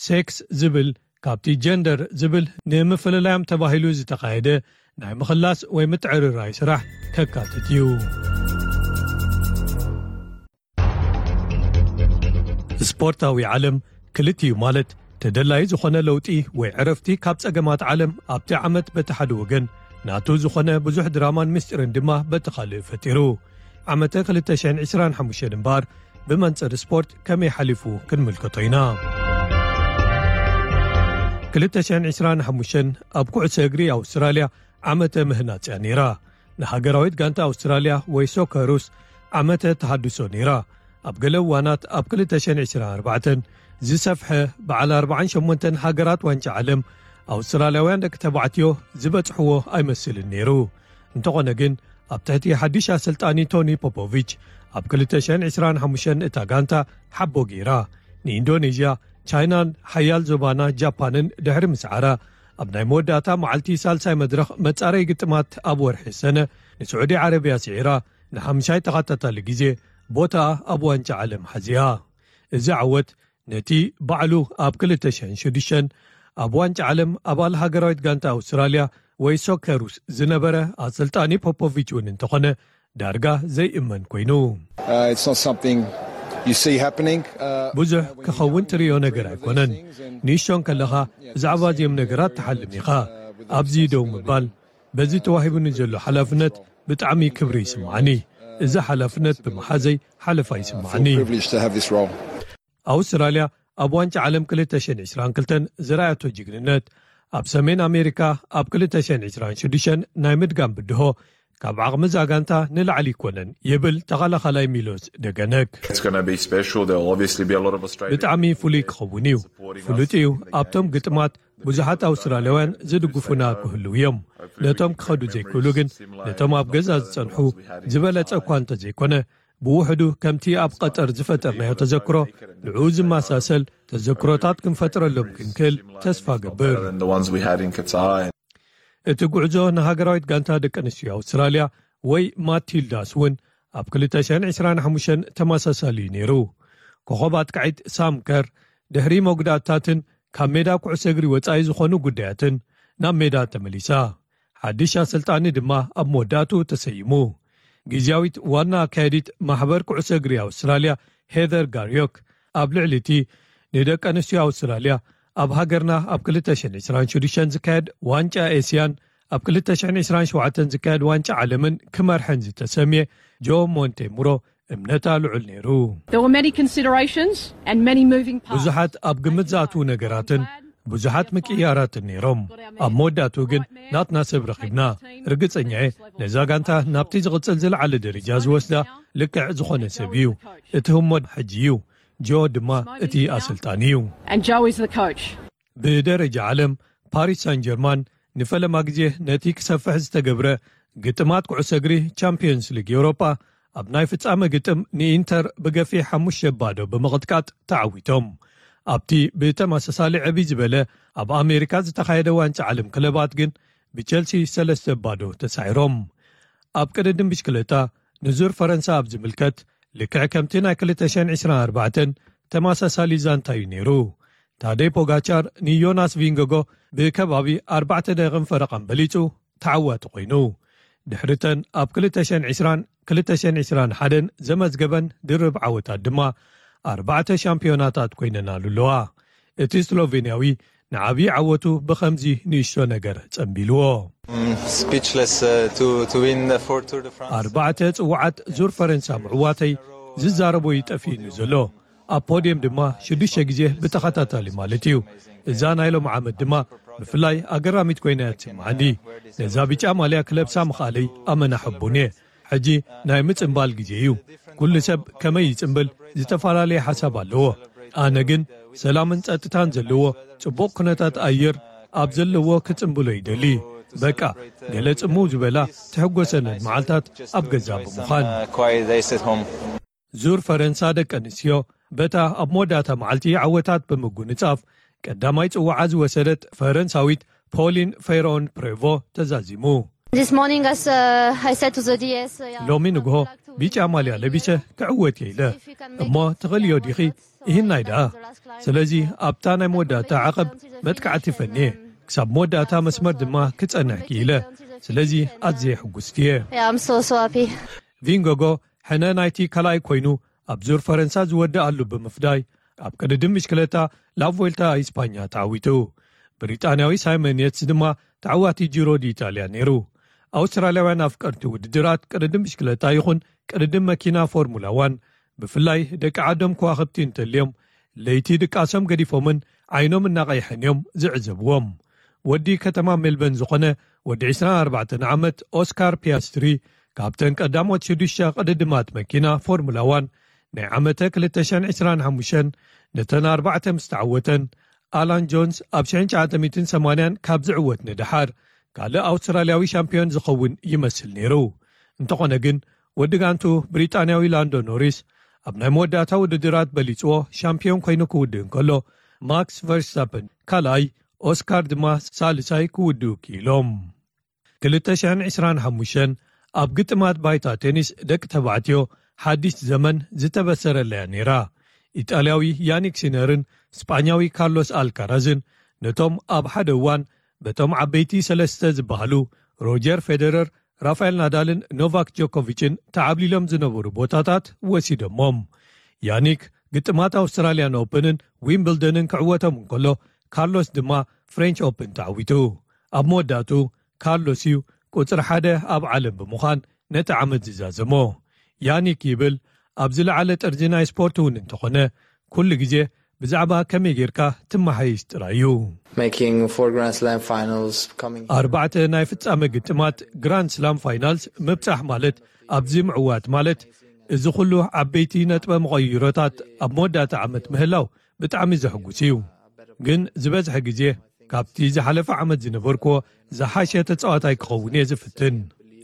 ሴክስ ዝብል ካብቲ ጀንደር ዝብል ንምፍልላዮም ተባሂሉ ዝተኻየደ ናይ ምኽላስ ወይ ምትዕርራይ ስራሕ ከካትት እዩ። ስፖርታዊ ዓለም ክልቲኡ ማለት ተደላይ ዝኾነ ለውጢ ወይ ዕረፍቲ ካብ ጸገማት ዓለም ኣብቲ ዓመት በቲ ሓደ ወገን ናቱ ዝኾነ ብዙሕ ድራማን ምስጢርን ድማ በቲ ካልእ ፈጢሩ። ዓመተ ክልተ ሽሕን ዕስራን ሓሙሽተን እምበኣር ብመንጽር ስፖርት ከመይ ሓሊፉ ክንምልከቶ ኢና። ክልተ ሽሕን ዕስራን ሓሙሽተን ኣብ ኩዕሶ እግሪ ኣውስትራልያ ዓመተ ምህናጽ እያ ነይራ። ንሃገራዊት ጋንታ ኣውስትራልያ ወይ ሶከሩስ ዓመተ ተሃድሶ ነይራ። ኣብ ገለ እዋናት ኣብ ክልተ ሽሕን ዕስራን ኣርባዕተን ዝሰፍሐ በዓል ኣርባዓን ሸሞንተን ሃገራት ዋንጫ ዓለም ኣውስትራልያውያን ደቂ ተባዕትዮ ዝበጽሕዎ ኣይመስልን ነይሩ። እንተኾነ ግን ኣብ ትሕቲ ሓድሽ ኣሰልጣኒ ቶኒ ፖፖቪች ኣብ ክልተ ሽሕን ዕስራን ሓሙሽተን እታ ጋንታ ሓቦ ገይራ ንኢንዶኔዥያ፣ ቻይናን ሓያል ዞባና ጃፓንን ድሕሪ ምስዓራ ኣብ ናይ መወዳእታ መዓልቲ ሳልሳይ መድረኽ መጻረይ ግጥማት ኣብ ወርሒ ሰነ ንስዑዲ ዓረብያ ስዒራ ንሓምሻይ ተኸታታሊ ግዜ ቦታኣ ኣብ ዋንጫ ዓለም ሓዚኣ። እዚ ዓወት ነቲ ባዕሉ ኣብ ክልተ ሽሕን ሽዱሽተን ኣብ ዋንጫ ዓለም ኣባል ሃገራዊት ጋንታ ኣውስትራልያ ወይ ሶከሩስ ዝነበረ ኣሰልጣኒ ፖፖቪች እውን እንተኾነ ዳርጋ ዘይእመን ኮይኑ። Uh, it's not something you see happening. Uh, ብዙሕ ክኸውን ትርእዮ ነገር ኣይኮነን። ንእሽቶ እንከለኻ ብዛዕባ እዚኦም ነገራት ትሓልም ኢኻ። ኣብዚ ደው ምባል፣ በዚ ተዋሂቡኒ ዘሎ ሓላፍነት ብጣዕሚ ክብሪ ይስምዓኒ። እዚ ሓላፍነት ብምሓዘይ ሓለፋ ይስምዓኒ። Privileged to have this role. ኣውስትራልያ ኣብ ዋንጫ ዓለም ክልተ ሽሕን ዕስራን ክልተን ዝረኣየቶ ጅግንነት፣ ኣብ ሰሜን ኣሜሪካ ኣብ ክልተ ሽሕን ዕስራን ሽዱሽተን ናይ ምድጋም ብድሆ ካብ ዓቕሚ እዛ ጋንታ ንላዕሊ ኣይኮነን ይብል ተኸላኻላይ ሚሎስ ደገነክ። It's going to be special. There'll obviously be a lot of Australians. ብጣዕሚ ፍሉይ ክኸውን እዩ። ፍሉጥ እዩ። ኣብቶም ግጥማት ብዙሓት ኣውስትራልያውያን ዝድግፉና ክህልዉ እዮም። ነቶም ክኸዱ ዘይክእሉ ግን ነቶም ኣብ ገዛ ዝጸንሑ ዝበለጸ እኳ እንተዘይኮነ ብውሕዱ ከምቲ ኣብ ቀጠር ዝፈጠርናዮ ተዘክሮ ንዕኡ ዝመሳሰል ተዘክሮታት ክንፈጥረሎም ክንክእል ተስፋ ገብር። Than the ones we had in Qatar. እቲ ጉዕዞ ንሃገራዊት ጋንታ ደቂ ኣንስትዮ ኣውስትራልያ ወይ ማቲልዳስ እውን ኣብ ክልተ ሽሕን ዕስራን ሓሙሽተን ተመሳሳሊ እዩ ነይሩ። ኮኸብ ኣጥቃዒት ሳም ከር ድሕሪ መጉዳእታትን ካብ ሜዳ ኩዕሶ እግሪ ወጻኢ ዝኾኑ ጉዳያትን ናብ ሜዳ ተመሊሳ። ሓድሽ ኣሰልጣኒ ድማ ኣብ መወዳእቱ ተሰይሙ። ግዝያዊት ዋና ኣካየዲት ማሕበር ኩዕሶ እግሪ ኣውስትራልያ ሄዘር ጋርዮክ ኣብ ልዕሊ እቲ ንደቂ ኣንስትዮ ኣውስትራልያ ኣብ ሃገርና ኣብ ክልተ ሽሕን ዕስራን ሽዱሽተን ዝካየድ ዋንጫ ኤስያን ኣብ ክልተ ሽሕን ዕስራን ሸውዓተን ዝካየድ ዋንጫ ዓለምን ክመርሐን ዝተሰምየ ጆ ሞንቴሙሮ እምነታ ልዑል ነይሩ። There were many considerations and many moving parts. ብዙሓት ኣብ ግምት ዝኣትዉ ነገራትን ብዙሓት ምቅያራት ነይሮም። ኣብ መወዳእትኡ ግን ናትና ሰብ ረኺብና። ርግጸኛ እየ፣ ነዛ ጋንታ ናብቲ ዝቕጽል ዝለዓለ ደረጃ ዝወስዳ ልክዕ ዝኾነ ሰብ እዩ። እቲ ህሞት ሕጂ እዩ። ጆ ድማ እቲ ኣሰልጣኒ እዩ። And Joe is the coach. ብደረጃ ዓለም፣ ፓሪስ ሳን ጀርማን ንፈለማ ግዜ ነቲ ክሰፍሕ ዝተገብረ ግጥማት ኩዕሶ እግሪ ቻምፒዮንስ ሊግ ኤውሮጳ፣ ኣብ ናይ ፍጻመ ግጥም ንኢንተር ብገፊሕ ሓሙሽተ ባዶ ብምቕጥቃጥ ተዓዊቶም። ኣብቲ ብተመሳሳሊ ዕብይ ዝበለ ኣብ ኣሜሪካ ዝተኻየደ ዋንጫ ዓለም ክለባት ግን ብቸልሲ ሰለስተ ባዶ ተሳዒሮም። ኣብ ቅድድም ብሽክለታ ንዙር ፈረንሳ ኣብ ዝምልከት፣ ልክዕ ከምቲ ናይ ክልተ ሽሕን ዕስራን ኣርባዕተን ተመሳሳሊ ዛንታ እዩ ነይሩ። ታደይ ፖጋቻር ንዮናስ ቪንጎጎ ብከባቢ ኣርባዕተ ደቂቕን ፈረቓን በሊጹ ተዓዋቲ ኮይኑ። ድሕሪተን ኣብ ክልተ ሽሕን ዕስራን ክልተ ሽሕን ዕስራን ሓደን ዘመዝገበን ድርብ ዓወታት ድማ ኣርባዕተ ሻምፒዮናታት ኮይነናሉ ኣለዋ። እቲ ስሎቬንያዊ ንዓብዪ ዓወቱ ብኸምዚ ንእሽቶ ነገር ጸንቢልዎ። Speechless uh, to, to win the four Tour de France. ኣርባዕተ ጽዋዓት ዙር ፈረንሳ ምዕዋተይ ዝዛረቦ ይጠፍእኒ ዘሎ። ኣብ ፖድየም ድማ ሽዱሽተ ግዜ ብተኸታታሊ ማለት እዩ። እዛ ናይ ሎም ዓመት ድማ ብፍላይ ኣገራሚት ኮይና እያ ትስምዓኒ። ነዛ ብጫ ማልያ ክለብሳ ምኽኣለይ ኣመና ሕቡን እየ። ሕጂ ናይ ምጽምባል ግዜ እዩ። ኩሉ ሰብ ከመይ ይጽምብል ዝተፈላለየ ሓሳብ ኣለዎ። ኣነ ግን ሰላምን ጸጥታን ዘለዎ ጽቡቕ ኩነታት ኣየር ኣብ ዘለዎ ክጽምብሎ ይደሊ። በቃ፣ ገለ ጽምው ዝበላ ትሕጎሰለን መዓልታት ኣብ ገዛ ብምዃን። Quiet days at home. ዙር ፈረንሳ ደቂ ኣንስትዮ በታ ኣብ መወዳእታ መዓልቲ ዓወታት ብምጉንጻፍ ቀዳማይ ጽዋዓ ዝወሰደት ፈረንሳዊት ፖሊን ፌሮን ፕሬቮ ተዛዚሙ። This morning, as uh, I said to the D S, uh, yeah, ሎሚ ንግሆ ቢጫ ማልያ ለቢሰ ክዕወት እየ ኢለ። እሞ ትኽእልዮ ዲኺ? ይህናይ ደኣ። ስለዚ ኣብታ ናይ መወዳእታ ዓቐብ መጥቃዕቲ ፈንየ፣ ክሳብ መወዳእታ መስመር ድማ ክጸንሕ ክኢለ። ስለዚ ኣዝየ ሕጉስቲ እየ። Yeah, I'm so, so happy. ቪንጎጎ ሕነ ናይቲ ካልኣይ ኮይኑ ኣብ ዙር ፈረንሳ ዝወደኣሉ ብምፍዳይ፣ ኣብ ቅድድም ብሽክለታ ላቮልታ ኢስፓኛ ተዓዊቱ። ብሪጣንያዊ ሳይመን የትስ ድማ ተዓዋቲ ጂሮ ዲኢጣልያ ነይሩ። ኣውስትራልያውያን ኣፍቀርቲ ውድድራት ቅድድም ብሽክለታ ይኹን ቅድድም መኪና ፎርሙላ ዋን፣ ብፍላይ ደቂ ዓዶም ከዋኽብቲ እንተልዮም፣ ለይቲ ድቃሶም ገዲፎምን ዓይኖም እናቐይሐን እዮም ዝዕዘብዎም። ወዲ ከተማ ሜልበን ዝኾነ ወዲ ዕስራን ኣርባዕተን ዓመት ኦስካር ፒያስትሪ፣ ካብተን ቀዳሞት ሽዱሽተ ቅድድማት መኪና ፎርሙላ ዋን ናይ ዓመተ ክልተ ሽሕን ዕስራን ሓሙሽተን ነተን ኣርባዕተ ምስ ተዓወተን፣ ኣላን ጆንስ ኣብ ሽሕን ትሽዓተ ሚእትን ሰማንያን ካብ ዝዕወት ንደሓር ካልእ ኣውስትራልያዊ ሻምፒዮን ዝኸውን ይመስል ነይሩ። እንተኾነ ግን፣ ወዲ ጋንቱ ብሪጣንያዊ ላንዶ ኖሪስ ኣብ ናይ መወዳእታ ውድድራት በሊጽዎ ሻምፒዮን ኮይኑ ክውድእ እንከሎ፣ ማክስ ቨርስታፐን ካልኣይ፣ ኦስካር ድማ ሳልሳይ ክውድኡ ክኢሎም። ክልተ ሽሕን ዕስራን ሓሙሽተን ኣብ ግጥማት ባይታ ቴኒስ ደቂ ተባዕትዮ ሓድሽ ዘመን ዝተበሰረለያ ነይራ። ኢጣልያዊ ያኒክ ሲነርን ስጳኛዊ ካርሎስ ኣልካራዝን ነቶም ኣብ ሓደ እዋን በቶም ዓበይቲ ሰለስተ ዝበሃሉ ሮጀር ፌደረር፣ ራፋኤል ናዳልን ኖቫክ ጆኮቪችን ተዓብሊሎም ዝነበሩ ቦታታት ወሲዶሞም። ያኒክ ግጥማት ኣውስትራልያን ኦፕንን ዊምብልደንን ክዕወቶም እንከሎ፣ ካርሎስ ድማ ፍሬንች ኦፕን ተዓዊቱ። ኣብ መወዳእቱ ካርሎስ እዩ ቁጽሪ ሓደ ኣብ ዓለም ብምዃን ነቲ ዓመት ዝዛዘሞ። ያኒክ ይብል፣ ኣብ ዝለዓለ ጥርዚ ናይ ስፖርት እውን እንተኾነ፣ ኩሉ ግዜ ብዛዕባ ከመይ ጌርካ ትመሓይሽ ጥራይ እዩ። Making four Grand Slam finals, coming ኣርባዕተ ናይ ፍጻመ ግጥማት ግራንድ ስላም ፋይናልስ ምብጻሕ ማለት፣ ኣብዚ ምዕዋት ማለት፣ እዚ ኩሉ ዓበይቲ ነጥበ መቐይሮታት ኣብ መወዳእታ ዓመት ምህላው ብጣዕሚ ዘሕጉስ እዩ። ግን ዝበዝሐ ግዜ ካብቲ ዝሓለፈ ዓመት ዝነበርክዎ ዝሓሸ ተጻዋታይ ክኸውን እየ ዝፍትን።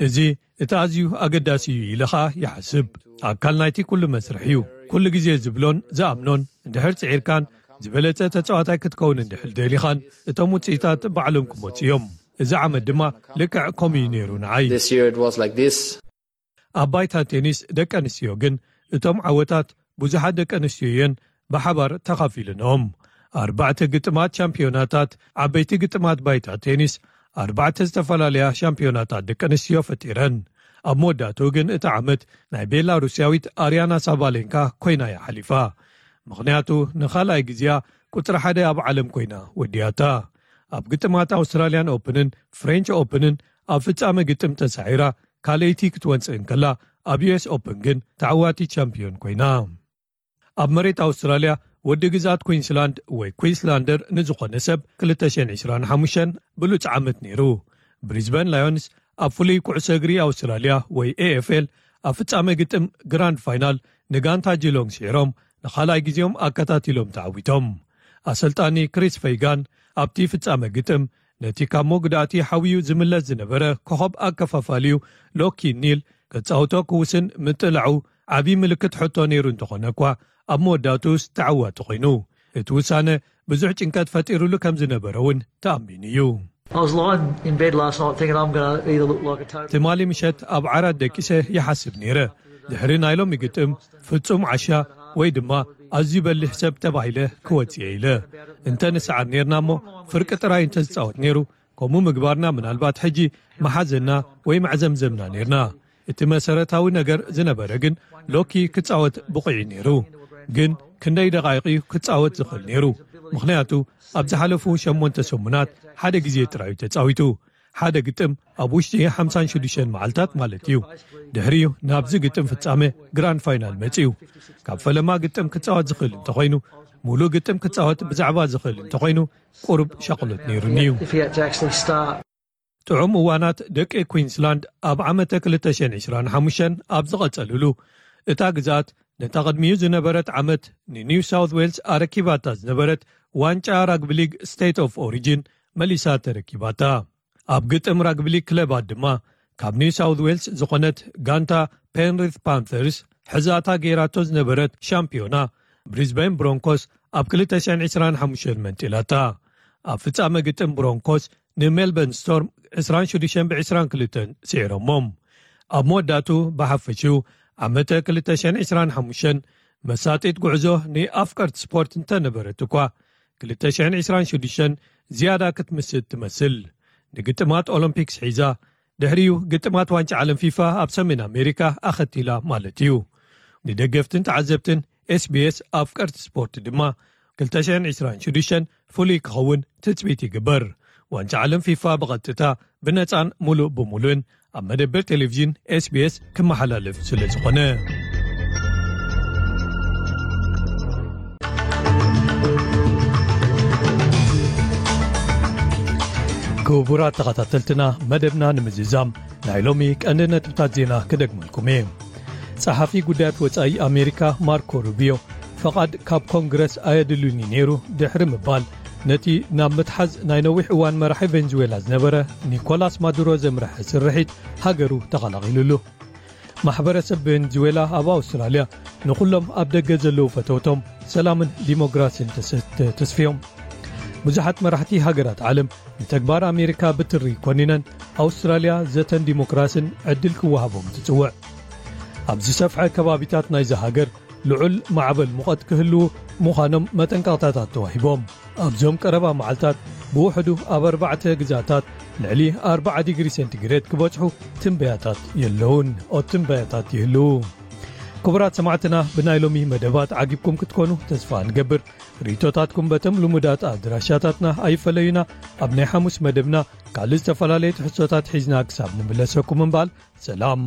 እዚ እቲ ኣዝዩ ኣገዳሲ እዩ ኢለ ኸኣ ይሓስብ። ኣካል ናይቲ ኩሉ መስርሕ እዩ። ኩሉ ግዜ ዝብሎን ዝኣምኖን፣ እንድሕር ጽዒርካን ዝበለጸ ተጻዋታይ ክትከውን እንድሕር ደሊኻን፣ እቶም ውጽኢታት ባዕሎም ክመጹ እዮም። እዚ ዓመት ድማ ልክዕ ከምኡ እዩ ነይሩ ንዓይ። This year it was like this. ኣብ ባይታ ቴኒስ ደቂ ኣንስትዮ ግን፣ እቶም ዓወታት ብዙሓት ደቂ ኣንስትዮ እየን ብሓባር ተኻፊልንኦም። ኣርባዕተ ግጥማት ሻምፒዮናታት፣ ዓበይቲ ግጥማት ባይታ ቴኒስ፣ ኣርባዕተ ዝተፈላለያ ሻምፒዮናታት ደቂ ኣንስትዮ ፈጢረን። ኣብ መወዳእትኡ ግን እቲ ዓመት ናይ ቤላሩስያዊት ኣርያና ሳባሌንካ ኮይና እያ ሓሊፋ። ምኽንያቱ ንኻልኣይ ግዜኣ ቁጽሪ ሓደ ኣብ ዓለም ኮይና ወዲያታ። ኣብ ግጥማት ኣውስትራልያን ኦፕንን ፍሬንች ኦፕንን ኣብ ፍጻመ ግጥም ተሳዒራ ካልኣይቲ ክትወጽእ እንከላ፣ ኣብ ዩ ኤስ ኦፕን ግን ተዓዋቲት ቻምፒዮን ኮይና። ኣብ መሬት ኣውስትራልያ ወዲ ግዛት ኩንስላንድ ወይ ኩንስላንደር ንዝኾነ ሰብ ክልተ ሽሕን ዕስራን ሓሙሽተን ብሉጽ ዓመት ነይሩ። ብሪዝበን ላዮንስ ኣብ ፍሉይ ኩዕሶ እግሪ ኣውስትራልያ ወይ ኤ ኤፍ ኤል ኣብ ፍጻመ ግጥም ግራንድ ፋይናል ንጋንታ ጂሎንግ ስዒሮም ንኻልኣይ ግዜኦም ኣከታቲሎም ተዓዊቶም። ኣሰልጣኒ ክሪስ ፈይጋን ኣብቲ ፍጻመ ግጥም ነቲ ካብ መጉዳእቲ ሓውዩ ዝምለስ ዝነበረ ኮኸብ ኣከፋፋሊኡ ሎኪ ኒል ክጻወቶ ክውስን ምጥላዑ ዓቢ ምልክት ሕቶ ነይሩ እንተኾነ እኳ ኣብ መወዳእትኡስ ተዓዋቲ ኮይኑ። እቲ ውሳነ ብዙሕ ጭንቀት ፈጢሩሉ ከም ዝነበረ እውን ተኣሚኑ እዩ። I was lying in bed last night thinking I'm going to either look like a total. ትማሊ ምሸት ኣብ ዓራት ደቂሰ ይሓስብ ነይረ። ድሕሪ ናይ ሎሚ ግጥም ፍጹም ዓሻ ወይ ድማ ኣዝዩ በሊሕ ሰብ ተባሂለ ክወጽእ ኢለ። እንተ ንሰዓር ነይርና እሞ ፍርቂ ጥራይ እንተ ዝጻወት ነይሩ፣ ከምኡ ምግባርና ምናልባት ሕጂ መሓዘና ወይ መዕዘምዘምና ነይርና። እቲ መሰረታዊ ነገር ዝነበረ ግን ሎኪ ክጻወት ብቑዕ እዩ ነይሩ። ግን ክንደይ ደቓይቕ እዩ ክጻወት ዝኽእል ነይሩ? ምኽንያቱ ኣብ ዝሓለፉ ሸሞንተ ሰሙናት ሓደ ግዜ ጥራይ እዩ ተጻዊቱ። ሓደ ግጥም ኣብ ውሽጢ ሓምሳን ሽዱሽተን መዓልታት ማለት እዩ። ድሕሪኡ ናብዚ ግጥም ፍጻመ ግራንድ ፋይናል መጺኡ። ካብ ፈለማ ግጥም ክጻወት ዝኽእል እንተኾይኑ፣ ሙሉእ ግጥም ክጻወት ብዛዕባ ዝኽእል እንተኾይኑ ቁሩብ ሻቕሎት ነይሩኒ እዩ። If he had to actually start. ጥዑም እዋናት ደቂ ኩንስላንድ ኣብ ዓመተ ክልተ ሽሕን ዕስራን ሓሙሽተን ኣብ ዝቐጸልሉ፣ እታ ግዝኣት ነታ ቅድሚኡ ዝነበረት ዓመት ንኒው ሳውት ዌልስ ኣረኪባታ ዝነበረት ዋንጫ ራግቢ ሊግ ስቴት ኦፍ ኦሪጂን መሊሳ ተረኪባታ። ኣብ ግጥም ራግቢ ሊግ ክለባት ድማ ካብ ኒው ሳውት ዌልስ ዝኾነት ጋንታ ፔንሪት ፓንተርስ ሕዛታ ገይራቶ ዝነበረት ሻምፒዮና ብሪዝበን ብሮንኮስ ኣብ ክልተ ሽሕን ዕስራን ሓሙሽተን መንጢላታ። ኣብ ፍጻመ ግጥም ብሮንኮስ ንሜልበርን ስቶርም ዕስራን ሽዱሽተን ብዕስራን ክልተን ስዒሮሞም። ኣብ መወዳእቱ ብሓፈሽኡ ዓመተ ክልተ ሽሕን ዕስራን ሓሙሽተን መሳጢት ጉዕዞ ንኣፍቀርቲ ስፖርት እንተነበረት እኳ፣ ክልተ ሽሕን ዕስራን ሽዱሽተን ዝያዳ ክትምስጥ ትመስል። ንግጥማት ኦሎምፒክስ ሒዛ፣ ድሕሪኡ ግጥማት ዋንጫ ዓለም ፊፋ ኣብ ሰሜን ኣሜሪካ ኣኸቲላ ማለት እዩ። ንደገፍትን ተዓዘብትን ኤስ ቢ ኤስ ኣፍቀርቲ ስፖርት ድማ ክልተ ሽሕን ዕስራን ሽዱሽተን ፍሉይ ክኸውን ትጽቢት ይግበር። ዋንጫ ዓለም ፊፋ ብቐጥታ ብነጻን ሙሉእ ብምሉእን ኣብ መደበር ቴሌቪዥን ኤስ ቢ ኤስ ክመሓላለፍ ስለ ዝኾነ። ክቡራት ተኸታተልትና፣ መደብና ንምዝዛም ናይ ሎሚ ቀንዲ ነጥብታት ዜና ክደግመልኩም እየ። ጸሓፊ ጉዳያት ወጻኢ ኣሜሪካ ማርኮ ሩቢዮ፣ ፈቓድ ካብ ኮንግረስ ኣየድልዩኒ ነይሩ ድሕሪ ምባል፣ ነቲ ናብ ምትሓዝ ናይ ነዊሕ እዋን መራሒ ቬንዙዌላ ዝነበረ ኒኮላስ ማዱሮ ዘምርሐ ስርሒት ሃገሩ ተቐላቒሉሉ። ማሕበረሰብ ቬንዙዌላ ኣብ ኣውስትራልያ ንኹሎም ኣብ ደገ ዘለዉ ፈተውቶም ሰላምን ዲሞክራሲን ተሰ-፣ ተ-፣ ተስፍዮም። ብዙሓት መራሕቲ ሃገራት ዓለም ንተግባር ኣሜሪካ ብትሪ ኮኒነን፣ ኣውስትራልያ ዘተን ዲሞክራሲን ዕድል ክወሃቦም ትጽውዕ። ኣብ ዝሰፍሐ ከባቢታት ናይዛ ሃገር ልዑል ማዕበል ሙቐት ክህልዉ ምዃኖም መጠንቀቕታታት ተዋሂቦም። ኣብዞም ቀረባ መዓልታት ብውሕዱ ኣብ ኣርባዕተ ግዛታት ልዕሊ ኣርብዓ ዲግሪ ሴንቲግሬድ ክበጽሑ ትንበያታት የለውን። ኦ፣ ትንበያታት ይህልዉ። ክቡራት ሰማዕትና፣ ብናይ ሎሚ መደባት ዓጊብኩም ክትኮኑ ተስፋ ንገብር። ርእይቶታትኩም በቶም ልሙዳት ኣድራሻታትና ኣይፈለዩና። ኣብ ናይ ሓሙስ መደብና ካልእ ዝተፈላለየ ትሕዝቶታት ሒዝና ክሳብ ንምለሰኩም እምባል፣ ሰላም።